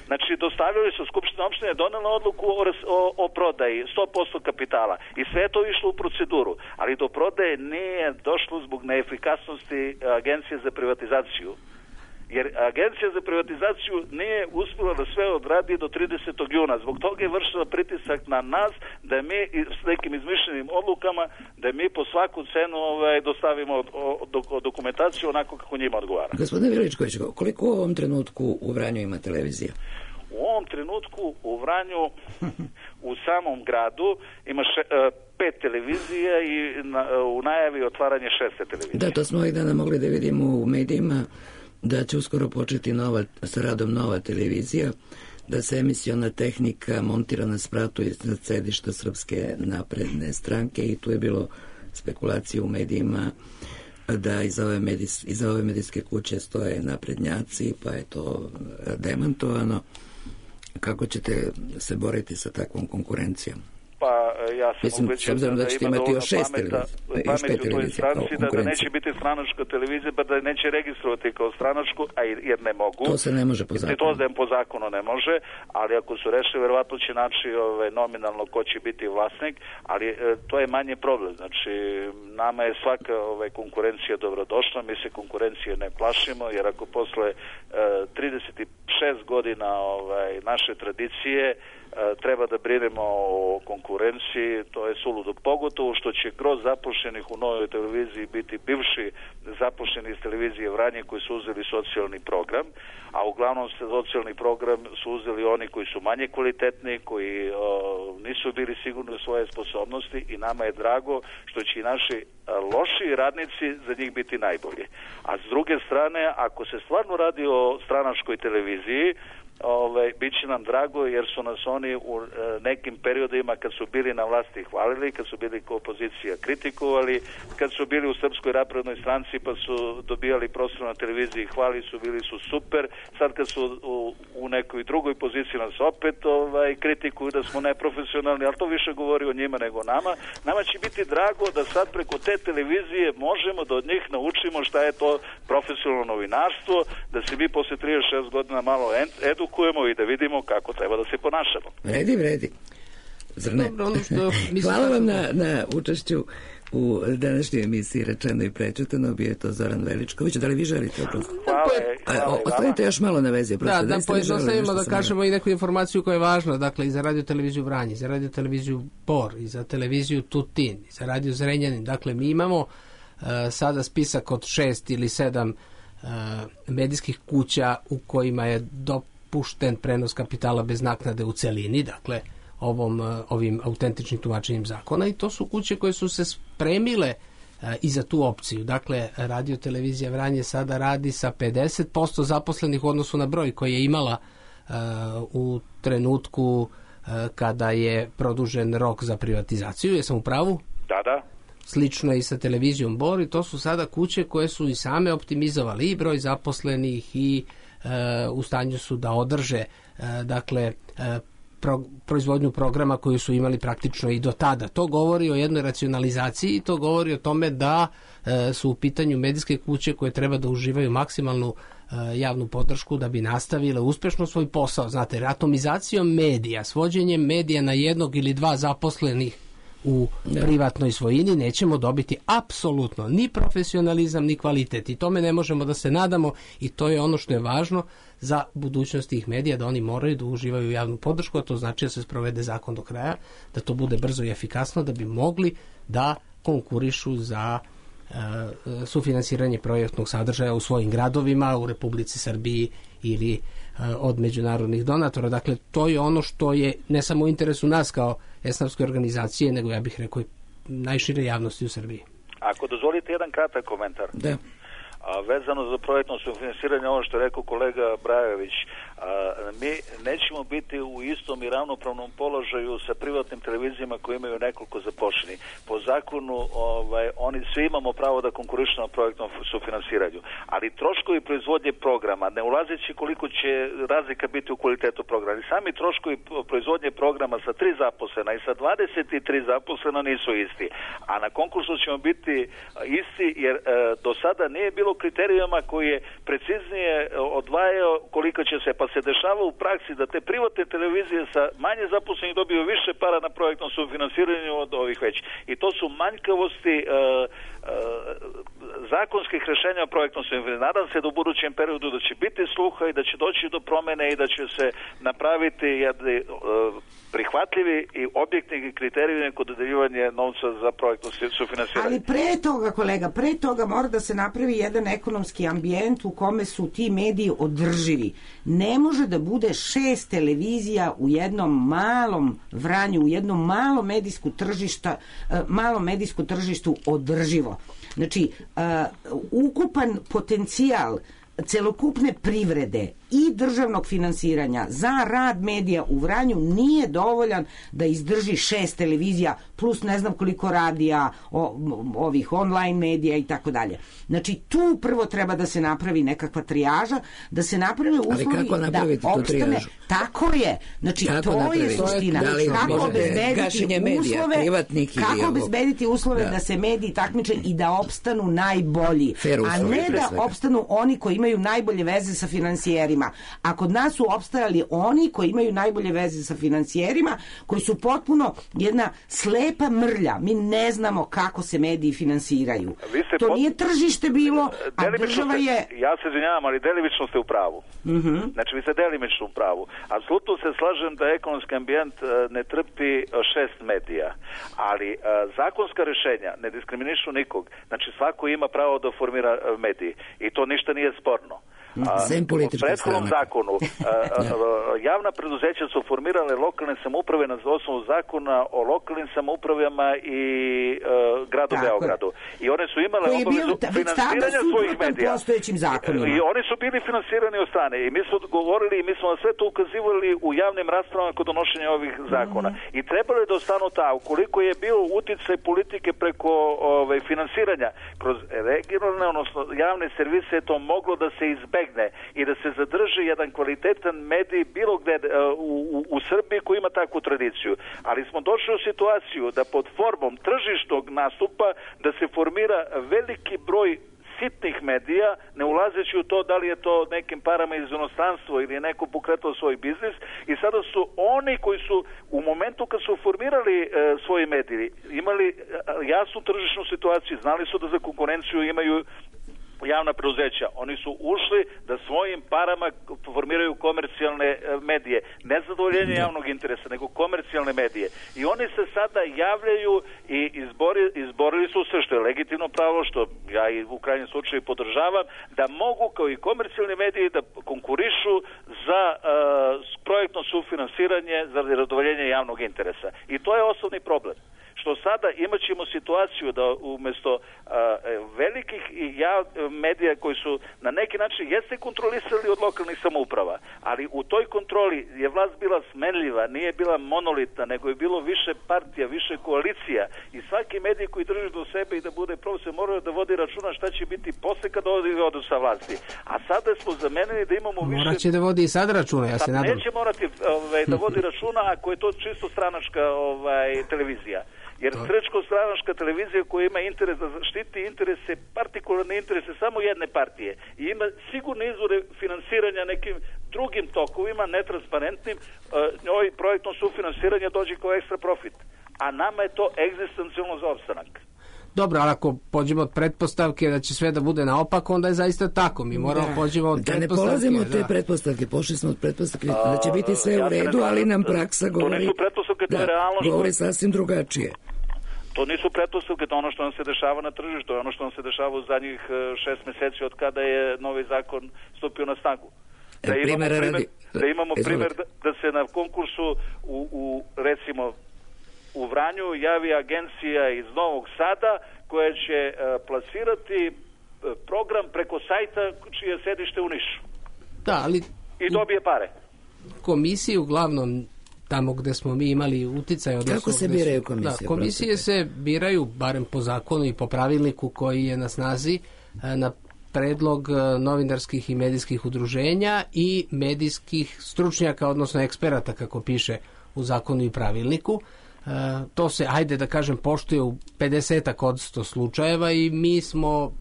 Znači, dostavili su Skupština opštine, donela odluku o, o, o prodaji sto posto kapitala i sve je to išlo u proceduru, ali do prodaje nije došlo zbog neefikasnosti Agencije za privatizaciju. Jer Agencija za privatizaciju nije uspela da sve odradi do tridesetog juna. Zbog toga je vršila pritisak na nas da mi s nekim izmišljenim odlukama da mi po svaku cenu ovaj, dostavimo o, o, dokumentaciju onako kako njima odgovara. Gospodine Veličković, koliko u ovom trenutku u Vranju ima televizija? U ovom trenutku u Vranju u samom gradu ima še, pet televizija i na, u najavi otvaranje šeste televizije. Da, to smo ovih dana mogli da vidimo u medijima da će uskoro početi nova, sa radom nova televizija, da se emisiona tehnika montira na spratu iznad sedišta Srpske napredne stranke i tu je bilo spekulacije u medijima da iza ove, medijs, iza ove medijske kuće stoje naprednjaci, pa je to demantovano. Kako ćete se boriti sa takvom konkurencijom? Pa ja sam Mislim, ubeđen da, da ima dovoljno pameta, pameti u toj stranci, da, da neće biti stranačka televizija, pa da neće registrovati kao stranačku, a jer ne mogu. To se ne može po zakonu. To da po zakonu ne može, ali ako su rešili, verovatno će naći ove, nominalno ko će biti vlasnik, ali e, to je manje problem. Znači, nama je svaka ove, konkurencija dobrodošla, mi se konkurencije ne plašimo, jer ako posle e, trideset šest godina ovaj, naše tradicije treba da brinemo o konkurenciji, to je suludo, pogotovo što će kroz zapošljenih u Novoj televiziji biti bivši zapošljeni iz televizije Vranje koji su uzeli socijalni program, a uglavnom se socijalni program su uzeli oni koji su manje kvalitetni, koji o, nisu bili sigurni u svoje sposobnosti i nama je drago što će i naši lošiji radnici za njih biti najbolji. A s druge strane, ako se stvarno radi o stranačkoj televiziji, Ove, bit će nam drago jer su nas oni u e, nekim periodima kad su bili na vlasti hvalili, kad su bili kao opozicija kritikovali, kad su bili u Srpskoj naprednoj stranci pa su dobijali prostor na televiziji, hvali su, bili su super. Sad kad su u, u nekoj drugoj poziciji nas opet ovaj, kritikuju da smo neprofesionalni, ali to više govori o njima nego o nama. Nama će biti drago da sad preko te televizije možemo da od njih naučimo šta je to profesionalno novinarstvo, da se mi posle trideset šest godina malo edu edukujemo i da vidimo kako treba da se ponašamo. Vredi, vredi. Zar ne? Dobro, ono što Hvala vam na, na učešću u današnjoj emisiji Rečeno i prečitano. Bio je to Zoran Veličković. Da li vi želite oprosti? Hvala. hvala Ostavite još malo na vezi. Da, da, da pojednostavimo da kažemo i neku informaciju koja je važna. Dakle, i za radio televiziju Vranje, i za radio televiziju Bor, i za televiziju Tutin, i za radio Zrenjanin. Dakle, mi imamo uh, sada spisak od šest ili sedam uh, medijskih kuća u kojima je do pušten prenos kapitala bez naknade u celini, dakle ovom, ovim autentičnim tumačenjem zakona, i to su kuće koje su se spremile uh, i za tu opciju. Dakle, radio televizija Vranje sada radi sa pedeset posto zaposlenih u odnosu na broj koji je imala uh, u trenutku uh, kada je produžen rok za privatizaciju. Jesam u pravu? Da, da. Slično i sa televizijom Bor, i to su sada kuće koje su i same optimizovali i broj zaposlenih i u stanju su da održe dakle pro, proizvodnju programa koju su imali praktično i do tada. To govori o jednoj racionalizaciji i to govori o tome da su u pitanju medijske kuće koje treba da uživaju maksimalnu javnu podršku da bi nastavile uspešno svoj posao. Znate, atomizacijom medija, svođenjem medija na jednog ili dva zaposlenih u privatnoj svojini nećemo dobiti apsolutno ni profesionalizam ni kvalitet, i tome ne možemo da se nadamo, i to je ono što je važno za budućnost tih medija, da oni moraju da uživaju javnu podršku, a to znači da se sprovede zakon do kraja, da to bude brzo i efikasno, da bi mogli da konkurišu za uh, sufinansiranje projektnog sadržaja u svojim gradovima, u Republici Srbiji ili uh, od međunarodnih donatora. Dakle, to je ono što je ne samo u interesu nas kao esnafske organizacije, nego ja bih rekao i najšire javnosti u Srbiji. Ako dozvolite jedan kratak komentar. Da. A, vezano za projektno sufinansiranje, ovo što je rekao kolega Brajović, a, mi nećemo biti u istom i ravnopravnom položaju sa privatnim televizijama koji imaju nekoliko zapošljenih. Po zakonu ovaj, oni svi imamo pravo da konkurišu na projektnom sufinansiranju, ali troškovi proizvodnje programa, ne ulazeći koliko će razlika biti u kvalitetu programa, ali sami troškovi proizvodnje programa sa tri zaposlena i sa dvadeset tri zaposlena nisu isti, a na konkursu ćemo biti isti jer e, do sada nije bilo kriterijuma koji je preciznije odvajao koliko će se, pa se dešava u praksi da te privatne televizije sa manje zaposlenih dobiju više para na projektnom sufinansiranju od ovih već. I to su manjkavosti uh, uh, zakonskih rešenja o projektnom sufinansiranju. Nadam se da u budućem periodu da će biti sluha i da će doći do promene i da će se napraviti jedni uh, prihvatljivi i objektivni kriterijumi kod dodeljivanja novca za projektno sufinansiranje. Ali pre toga, kolega, pre toga mora da se napravi jedan ekonomski ambijent u kome su ti mediji održivi. Ne može da bude šest televizija u jednom malom Vranju, u jednom malom medijsku tržišta, malom medijsku tržištu održivo. Znači, uh, ukupan potencijal celokupne privrede i državnog finansiranja za rad medija u Vranju nije dovoljan da izdrži šest televizija plus ne znam koliko radija, o, ovih online medija i tako dalje. Znači tu prvo treba da se napravi nekakva trijaža, da se naprave uslovi da opstane. Tako je. Znači kako to napraviti? Je suština. Da li kako obezbediti medija, uslove, kako obezbediti uslove da. da se mediji takmiče i da opstanu najbolji, a ne da opstanu oni koji imaju najbolje veze sa finansijerima. A kod nas su opstajali oni koji imaju najbolje veze sa finansijerima, koji su potpuno jedna slepa mrlja. Mi ne znamo kako se mediji finansiraju. To pot... nije tržište bilo, a država je... Ja se izvinjavam, ali delimično ste u pravu. Uh-huh. Znači, vi ste delimično u pravu. Apsolutno se slažem da ekonomski ambijent ne trpi šest medija, ali zakonska rešenja ne diskriminišu nikog. Znači, svako ima pravo da formira mediji i to ništa nije sporno. Sem politička u prethodnom zakonu javna preduzeća su formirale lokalne samouprave na osnovu zakona o lokalnim samoupravama i uh, gradu tako Beogradu. I one su imale obavezu finansiranja svojih medija. I oni su bili finansirani od strane. I mi smo govorili i mi smo na sve to ukazivali u javnim raspravama kod donošenja ovih zakona. Mm-hmm. I trebalo je da ostanu ta. Ukoliko je bio uticaj politike preko ove, finansiranja kroz regionalne, odnosno javne servise, to moglo da se izbegne i da se zadrži jedan kvalitetan medij bilo gde u, u, u Srbiji koji ima takvu tradiciju. Ali smo došli u situaciju da pod formom tržišnog nastupa da se formira veliki broj sitnih medija, ne ulazeći u to da li je to nekim parama iz inostranstva ili je neko pokretao svoj biznis i sada su oni koji su u momentu kad su formirali e, svoji mediji imali e, jasnu tržišnu situaciju, znali su da za konkurenciju imaju javna preduzeća. Oni su ušli da svojim parama formiraju komercijalne medije. Ne zadovoljenje javnog interesa, nego komercijalne medije. I oni se sada javljaju i izbori, izborili su se, što je legitimno pravo, što ja i u krajnjem slučaju podržavam, da mogu kao i komercijalni mediji da konkurišu za uh, projektno sufinansiranje za zadovoljenje javnog interesa. I to je osnovni problem. Što sada imat ćemo situaciju da umjesto uh, velikih ja, medija koji su na neki način jeste kontrolisali od lokalnih samouprava, ali u toj kontroli je vlast bila smenljiva, nije bila monolitna, nego je bilo više partija, više koalicija i svaki medij koji drži do sebe i da bude profesor moraju da vodi računa šta će biti posle kad odu sa vlasti. A sada smo zamenili da imamo više... Morat će da vodi i sad računa, ja se nadam. Neće morati ovaj, da vodi računa ako je to čisto stranačka ovaj, televizija. Jer srečko-stranačka televizija koja ima interes da štiti interese, partikularne interese samo jedne partije i ima sigurne izvore finansiranja nekim drugim tokovima, netransparentnim, njoj projektom sufinansiranja dođe kao ekstra profit. A nama je to egzistencijalno za opstanak. Dobro, ali ako pođemo od pretpostavke da će sve da bude naopako, onda je zaista tako. Mi moramo da. pođemo od da pretpostavke. Da ne polazimo od te da. pretpostavke, pošli smo od pretpostavke da će biti sve ja u redu, ali nam praksa govori, to nisu pretpostavke, to je realno govori sasvim drugačije. To nisu pretpostavke, to ono što nam se dešava na tržištu, to je ono što nam se dešava u zadnjih šest meseci od kada je novi zakon stupio na snagu. Da imamo primjer, radi... da imamo primjer da, da se na konkursu u, u recimo u Vranju javi agencija iz Novog Sada koja će uh, plasirati uh, program preko sajta čije sedište u Nišu. Da, ali... I dobije pare. Komisije uglavnom tamo gde smo mi imali uticaj. Kako se biraju komisije? Da, komisije se biraju, barem po zakonu i po pravilniku koji je na snazi, na predlog novinarskih i medijskih udruženja i medijskih stručnjaka, odnosno eksperata, kako piše u zakonu i pravilniku. To se, ajde da kažem, poštuje u pedeset od sto slučajeva i mi smo,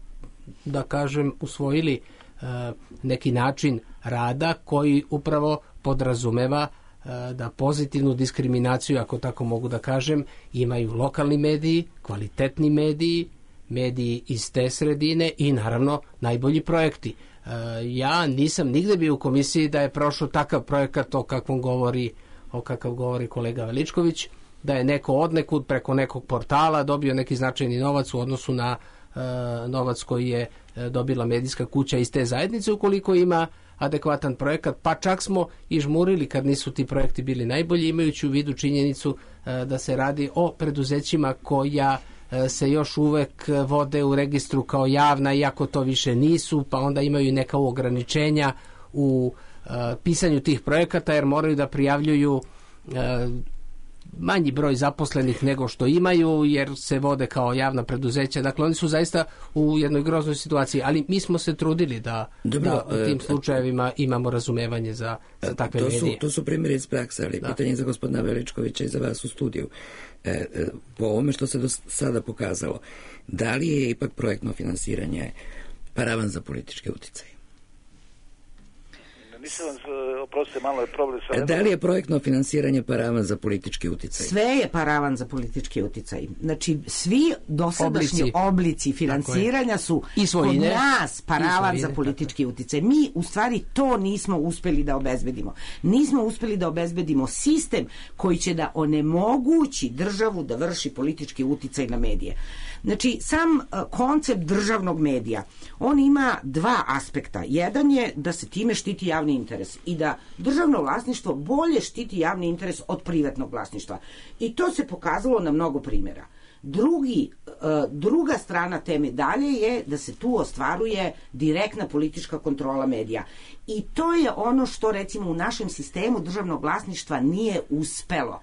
da kažem, usvojili neki način rada koji upravo podrazumeva da pozitivnu diskriminaciju, ako tako mogu da kažem, imaju lokalni mediji, kvalitetni mediji, mediji iz te sredine i naravno najbolji projekti. Ja nisam nigde bio u komisiji da je prošao takav projekat o kakvom govori, o kakav govori kolega Veličković, da je neko odnekud preko nekog portala dobio neki značajni novac u odnosu na uh, novac koji je uh, dobila medijska kuća iz te zajednice, ukoliko ima adekvatan projekat, pa čak smo i žmurili kad nisu ti projekti bili najbolji, imajući u vidu činjenicu uh, da se radi o preduzećima koja uh, se još uvek vode u registru kao javna, iako to više nisu, pa onda imaju neka ograničenja u pisanju tih projekata, jer moraju da prijavljuju manji broj zaposlenih nego što imaju, jer se vode kao javna preduzeća. Dakle, oni su zaista u jednoj groznoj situaciji, ali mi smo se trudili da, Dobro, da u tim slučajevima imamo razumevanje za, za takve to su, medije. To su primjeri iz prakse, ali da. Pitanje za gospodina Veličkovića i za vas u studiju. E, e, po ovome što se do sada pokazalo, da li je ipak projektno finansiranje paravan za političke uticaje? Nisam vam, oprostite, malo je problem sa... Da li je projektno finansiranje paravan za politički uticaj? Sve je paravan za politički uticaj. Znači, svi dosadašnji oblici, oblici finansiranja su kod nas paravan za politički uticaj. Mi, u stvari, to nismo uspeli da obezbedimo. Nismo uspeli da obezbedimo sistem koji će da onemogući državu da vrši politički uticaj na medije. Znači, sam koncept državnog medija, on ima dva aspekta. Jedan je da se time štiti javni interes i da državno vlasništvo bolje štiti javni interes od privatnog vlasništva. I to se pokazalo na mnogo primjera. Drugi, druga strana te medalje je da se tu ostvaruje direktna politička kontrola medija. I to je ono što, recimo, u našem sistemu državnog vlasništva nije uspelo.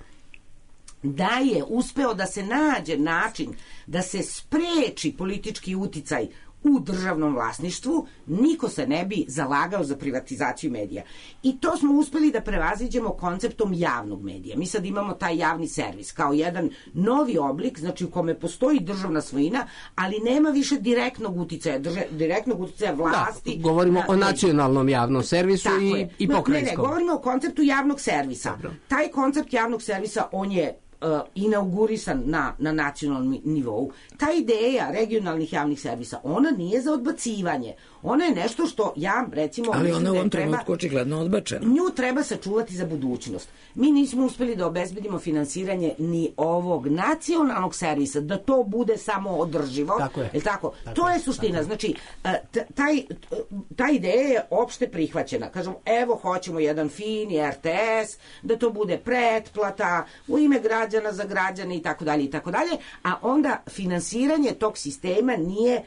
Da je uspeo da se nađe način da se spreči politički uticaj u državnom vlasništvu, niko se ne bi zalagao za privatizaciju medija. I to smo uspeli da prevaziđemo konceptom javnog medija. Mi sad imamo taj javni servis kao jedan novi oblik, znači u kome postoji državna svojina, ali nema više direktnog uticaja, drže, direktnog uticaja vlasti. Da, govorimo na, o nacionalnom javnom servisu i, i pokrajinskom. Ne, ne, govorimo o konceptu javnog servisa. Dobro. Taj koncept javnog servisa, on je Uh, inaugurisan na, na nacionalnom nivou. Ta ideja regionalnih javnih servisa, ona nije za odbacivanje. Ona je nešto što ja, recimo... Ali ona u ovom trenutku očigledno odbačena. Nju treba sačuvati za budućnost. Mi nismo uspeli da obezbedimo finansiranje ni ovog nacionalnog servisa, da to bude samo održivo. Tako je. Je tako? Tako to je, je suština. tako. Znači, taj, ta ideja je opšte prihvaćena. Kažem, evo, hoćemo jedan fin R T S, da to bude pretplata, u ime građana za građane i tako dalje i tako dalje, a onda finansiranje tog sistema nije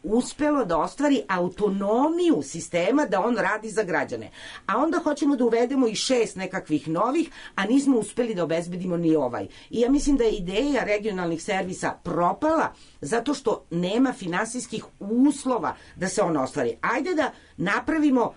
uspelo da ostvari autonomiju sistema da on radi za građane. A onda hoćemo da uvedemo i šest nekakvih novih, a nismo uspeli da obezbedimo ni ovaj. I ja mislim da je ideja regionalnih servisa propala zato što nema finansijskih uslova da se on ostvari. Ajde da napravimo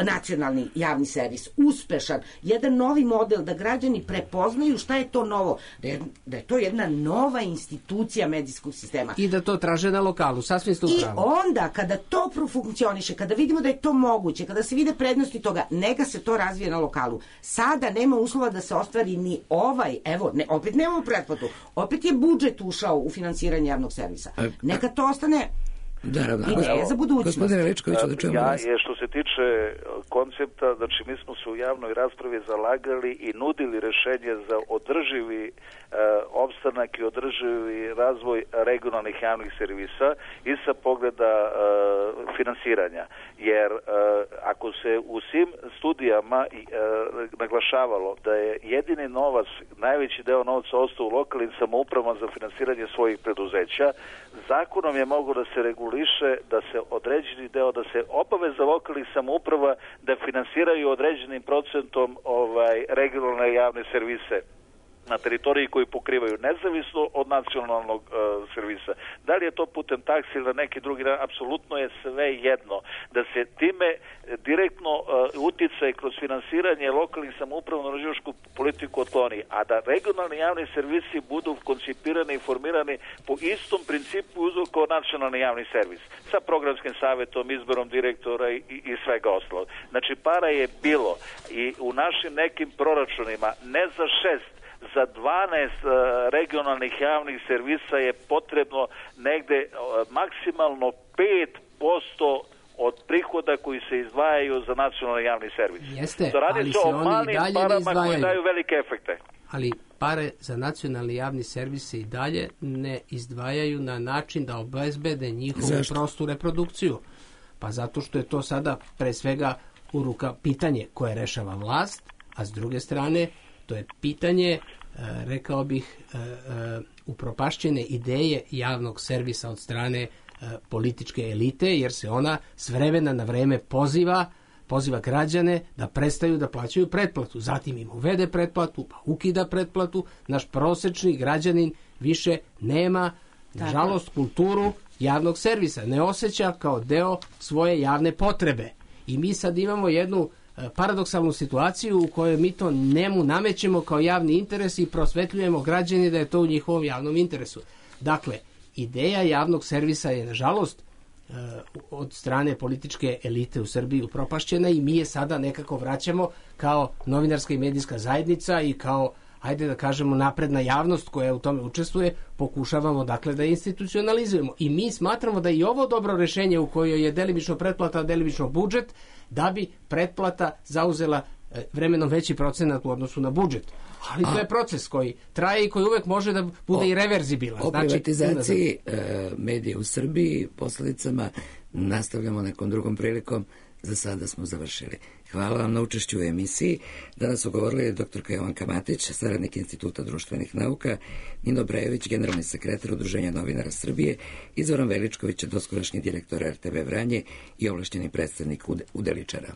nacionalni javni servis, uspešan, jedan novi model da građani prepoznaju šta je to novo, da je, da je to jedna nova institucija medijskog sistema. I da to traže na lokalu, sasvim ste upravo. I onda, kada to profunkcioniše, kada vidimo da je to moguće, kada se vide prednosti toga, neka se to razvije na lokalu. Sada nema uslova da se ostvari ni ovaj, evo, ne, opet nemamo pretplatu, opet je budžet ušao u finansiranje javnog servisa. Neka to ostane ideja za budućnost. Gospodine Veličkoviću, da čujemo vas. Ja je što se tiče koncepta, znači mi smo se u javnoj raspravi zalagali i nudili rešenje za održivi e, opstanak i održivi razvoj regionalnih javnih servisa i sa pogleda e, finansiranja. Jer e, ako se u svim studijama e, naglašavalo da je jedini novac, najveći deo novca ostao u lokalnim samoupravama za finansiranje svojih preduzeća, zakonom je mogo da se reguliše da se određeni deo, da se obaveza lokalnih samouprava da finansiraju određenim procentom ovaj regionalne javne servise na teritoriji koji pokrivaju nezavisno od nacionalnog uh, servisa. Da li je to putem taksi ili na neki drugi način, apsolutno je sve jedno. Da se time direktno uh, uticaj kroz finansiranje lokalnih samouprava na regionalnu politiku otkloni, a da regionalni javni servisi budu koncipirani i formirani po istom principu kao nacionalni javni servis. Sa programskim savjetom, izborom direktora i, i, i svega ostalog. Znači, para je bilo i u našim nekim proračunima ne za šest, za dvanaest uh, regionalnih javnih servisa je potrebno negde uh, maksimalno pet posto od prihoda koji se izdvajaju za nacionalni javni servis. Jeste, to radi ali se se o malim parama koji daju velike efekte. Ali pare za nacionalni javni servis se i dalje ne izdvajaju na način da obezbede njihovu Zašto? prostu reprodukciju. Pa zato što je to sada pre svega u ruka pitanje koje rešava vlast, a s druge strane to je pitanje, rekao bih, upropašćene ideje javnog servisa od strane političke elite, jer se ona s vremena na vreme poziva poziva građane da prestaju da plaćaju pretplatu. Zatim im uvede pretplatu, pa ukida pretplatu. Naš prosečni građanin više nema, nažalost, kulturu javnog servisa. Ne osjeća kao deo svoje javne potrebe. I mi sad imamo jednu paradoksalnu situaciju u kojoj mi to njemu namećemo kao javni interes i prosvetljujemo građani da je to u njihovom javnom interesu. Dakle, ideja javnog servisa je, nažalost, od strane političke elite u Srbiji upropašćena i mi je sada nekako vraćamo kao novinarska i medijska zajednica i kao, ajde da kažemo, napredna javnost koja u tome učestvuje, pokušavamo dakle da institucionalizujemo. I mi smatramo da je i ovo dobro rešenje u kojoj je delimično pretplata, delimično budžet, da bi pretplata zauzela vremenom veći procenat u odnosu na budžet. Ali to je proces koji traje i koji uvek može da bude o, i reverzibilan. O znači, privatizaciji e, medija u Srbiji, posledicama, nastavljamo nekom drugom prilikom. Za sada smo završili. Hvala vam na učešću u emisiji. Danas su govorili doktorka Jovanka Matić, saradnik Instituta društvenih nauka, Nino Brejović, generalni sekretar Udruženja novinara Srbije, i Zoran Veličković, doskorašnji direktor er te ve Vranje i ovlašćeni predstavnik Udeličara.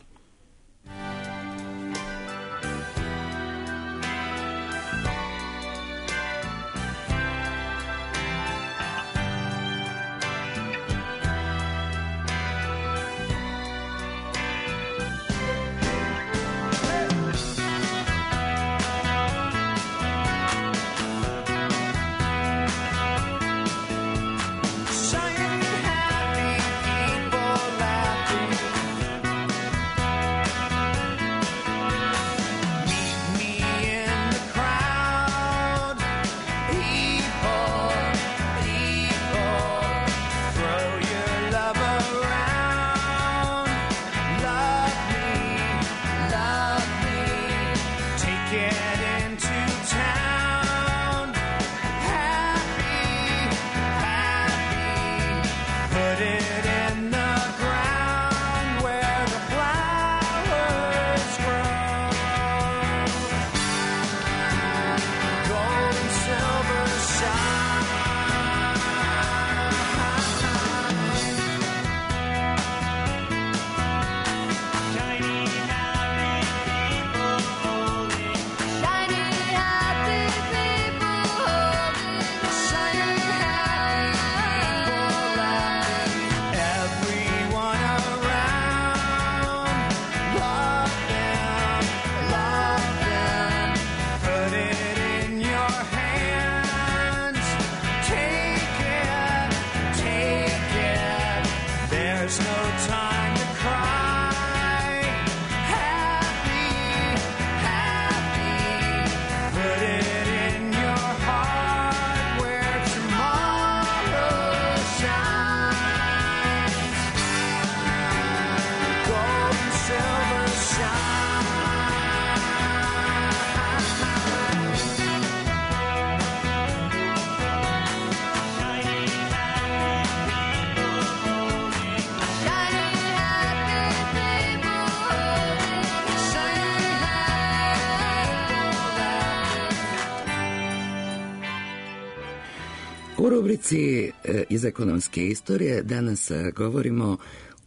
U rubrici iz ekonomske istorije danas govorimo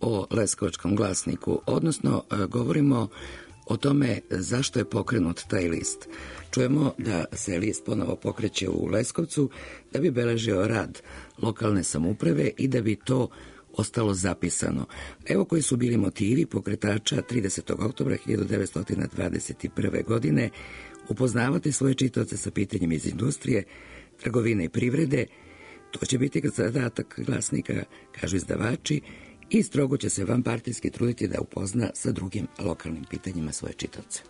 o Leskovačkom glasniku, odnosno govorimo o tome zašto je pokrenut taj list. Čujemo da se list ponovo pokreće u Leskovcu da bi beležio rad lokalne samouprave i da bi to ostalo zapisano. Evo koji su bili motivi pokretača tridesetog oktobra hiljadu devetsto dvadeset prve. godine upoznavati svoje čitaoce sa pitanjima iz industrije, trgovine i privrede. To će biti zadatak glasnika, kažu izdavači, i strogo će se vanpartijski truditi da upozna sa drugim lokalnim pitanjima svoje čitaoce.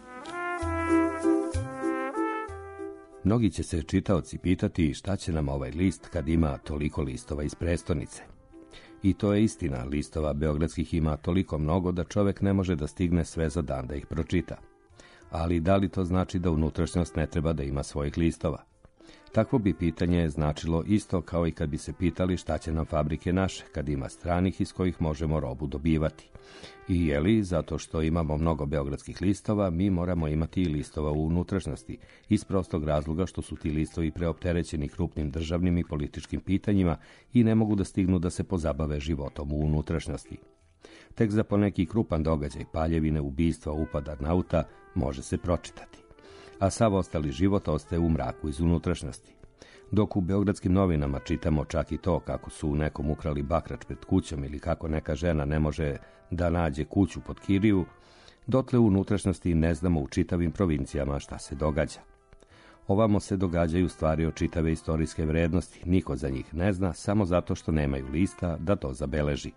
Mnogi će se čitaoci pitati šta će nam ovaj list kad ima toliko listova iz prestonice. I to je istina, listova beogradskih ima toliko mnogo da čovek ne može da stigne sve za dan da ih pročita. Ali da li to znači da unutrašnjost ne treba da ima svojih listova? Takvo bi pitanje značilo isto kao i kad bi se pitali šta će nam fabrike naše, kad ima stranih iz kojih možemo robu dobivati. I je li, zato što imamo mnogo beogradskih listova, mi moramo imati i listova u unutrašnjosti, iz prostog razloga što su ti listovi preopterećeni krupnim državnim i političkim pitanjima i ne mogu da stignu da se pozabave životom u unutrašnjosti. Tek za poneki krupan događaj, paljevine, ubistva, upada nauta, može se pročitati. A sav ostali život ostaje u mraku iz unutrašnjosti. Dok u Beogradskim novinama čitamo čak i to kako su nekom ukrali bakrač pred kućom ili kako neka žena ne može da nađe kuću pod kiriju, dotle u unutrašnjosti ne znamo u čitavim provincijama šta se događa. Ovamo se događaju stvari od čitave istorijske vrednosti, niko za njih ne zna, samo zato što nemaju lista da to zabeleži.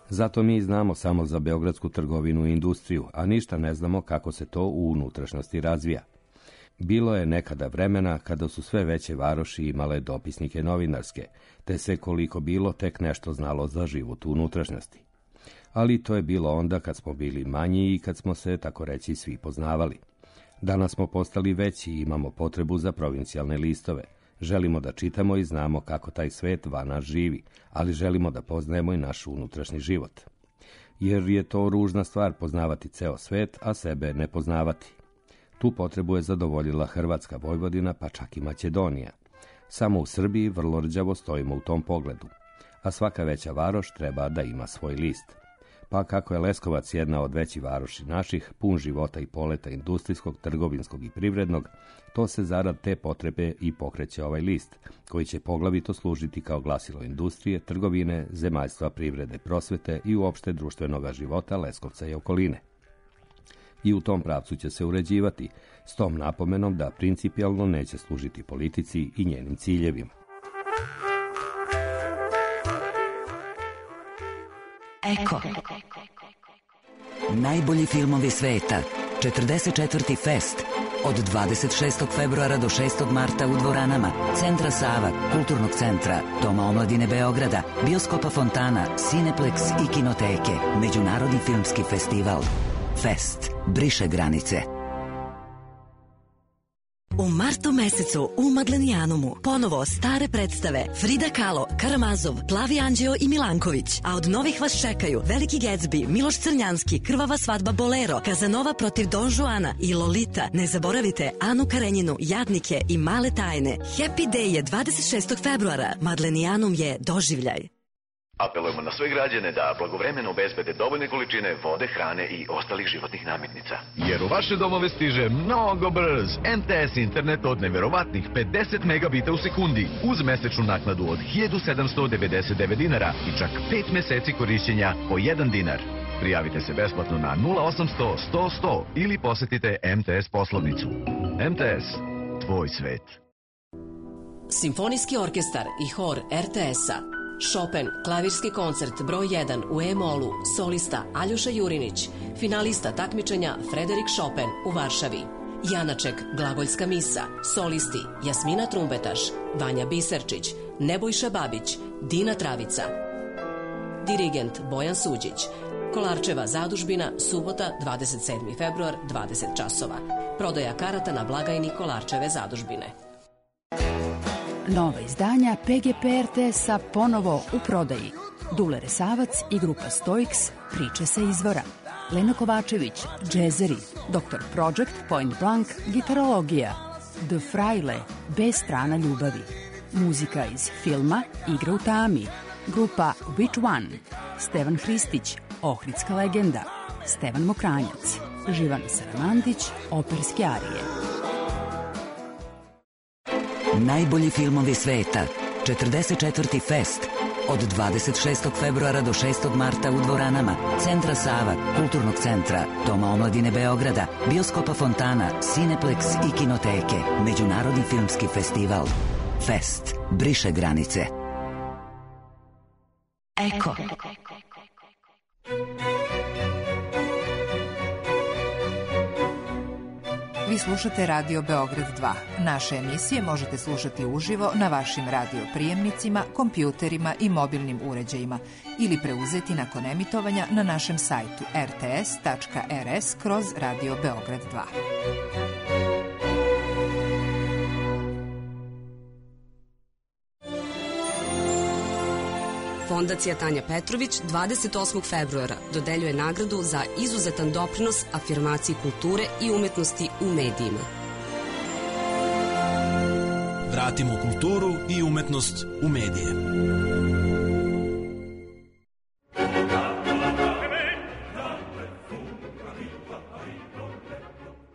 Zato mi znamo samo za beogradsku trgovinu i industriju, a ništa ne znamo kako se to u unutrašnjosti razvija. Bilo je nekada vremena kada su sve veće varoši imale dopisnike novinarske, te se koliko bilo tek nešto znalo za život u unutrašnjosti. Ali to je bilo onda kad smo bili manji i kad smo se, tako reći, svi poznavali. Danas smo postali veći i imamo potrebu za provincijalne listove. Želimo da čitamo i znamo kako taj svet van nas živi, ali želimo da poznajemo i naš unutrašnji život. Jer je to ružna stvar poznavati ceo svet, a sebe ne poznavati. Tu potrebu je zadovoljila Hrvatska, Vojvodina, pa čak i Makedonija. Samo u Srbiji vrlo rđavo stojimo u tom pogledu. A svaka veća varoš treba da ima svoj list. Pa kako je Leskovac jedna od većih varoši naših, pun života i poleta industrijskog, trgovinskog i privrednog, to se zarad te potrebe i pokreće ovaj list, koji će poglavito služiti kao glasilo industrije, trgovine, zemaljstva, privrede, prosvete i uopšte društvenoga života Leskovca i okoline. I u tom pravcu će se uređivati, s tom napomenom da principijalno neće služiti politici i njenim ciljevima. Eko. Najbolji filmovi sveta. četrdeset četvrti Fest. Od dvadeset šestog februara do šestog marta u dvoranama Centra Sava, Kulturnog centra, Doma omladine Beograda, Bioskopa Fontana, Cineplex i Kinoteke. Međunarodni filmski festival. Fest. Briše granice. U martu mesecu u Madlenijanumu ponovo stare predstave Frida Kahlo, Karamazov, Plavi Anđeo i Milanković. A od novih vas čekaju Veliki Gatsby, Miloš Crnjanski, Krvava svadba Bolero, Kazanova protiv Don Juana i Lolita. Ne zaboravite Anu Karenjinu, Jadnike i Male tajne. Happy Day je dvadeset šestog februara. Madlenijanum je doživljaj. Apelujemo na sve građane da blagovremeno obezbede dovoljne količine vode, hrane i ostalih životnih namirnica. Jer u vaše domove stiže mnogo brz em te es internet od neverovatnih pedeset megabita u sekundi uz mesečnu naknadu od hiljadu sedamsto devedeset devet dinara i čak pet meseci korišćenja po jedan dinar. Prijavite se besplatno na nula osamsto sto sto ili posetite em te es poslovnicu. em te es, tvoj svet. Simfonijski orkestar i hor er te es-a. Chopin, klavirski koncert broj jedan u E-molu, solista Aljoša Jurinić, finalista takmičenja Frederik Chopin u Varšavi. Janaček, glagoljska misa, solisti Jasmina Trumbetaš, Vanja Biserčić, Nebojša Babić, Dina Travica. Dirigent Bojan Suđić. Kolarčeva zadužbina, subota, dvadeset sedmi februar, dvadeset časova. Prodaja karata na blagajni Kolarčeve zadužbine. Nova izdanja pe ge pe er te es-a ponovo u prodaji. Dule Resavac i grupa Stoiks, priče sa izvora. Lena Kovačević, džezeri. doktor Project, Point Blank, gitarologija. The Fraile, bez strana ljubavi. Muzika iz filma Igra u tami. Grupa Which One. Stevan Hristić, Ohridska legenda. Stevan Mokranjac. Živana Saramandić, operske arije. Najbolji filmovi sveta. četrdeset četvrti Fest. Od dvadeset šestog februara do šestog marta u dvoranama Centra Sava, Kulturnog centra, Doma omladine Beograda, Bioskopa Fontana, Cineplex i Kinoteke. Međunarodni filmski festival. Fest. Briše granice. Eko. Vi slušate Radio Beograd dva. Naše emisije možete slušati uživo na vašim radio prijemnicima, kompjuterima i mobilnim uređajima ili preuzeti nakon emitovanja na našem sajtu er te es tačka er es kroz Radio Beograd dva. Fondacija Tanja Petrović dvadeset osmog februara dodeljuje nagradu za izuzetan doprinos afirmaciji kulture i umetnosti u medijima. Vratimo kulturu i umetnost u medije.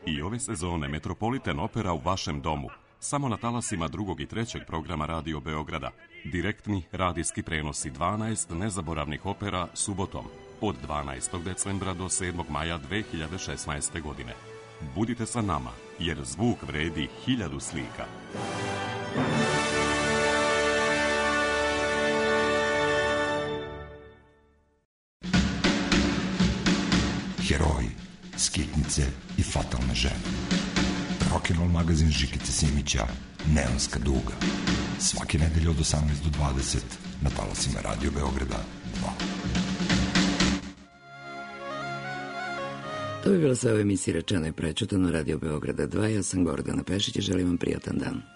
I ove sezone Metropolitan Opera u vašem domu. Samo na talasima drugog i trećeg programa Radio Beograda. Direktni radijski prenosi dvanaest nezaboravnih opera subotom od dvanaestog decembra do sedmog maja dve hiljade šesnaeste. godine. Budite sa nama, jer zvuk vredi hiljadu slika. Heroji, skitnice i fatalne žene. Rock'n'roll magazin Žikice Simića, Neonska duga. Svake nedelje od osamnaest do dvadeset na talasima Radio Beograda dva. To bi bilo sve u emisiji Rečeno i prečutano Radio Beograda dva. Ja sam Gordana Pešić i želim vam prijatan dan.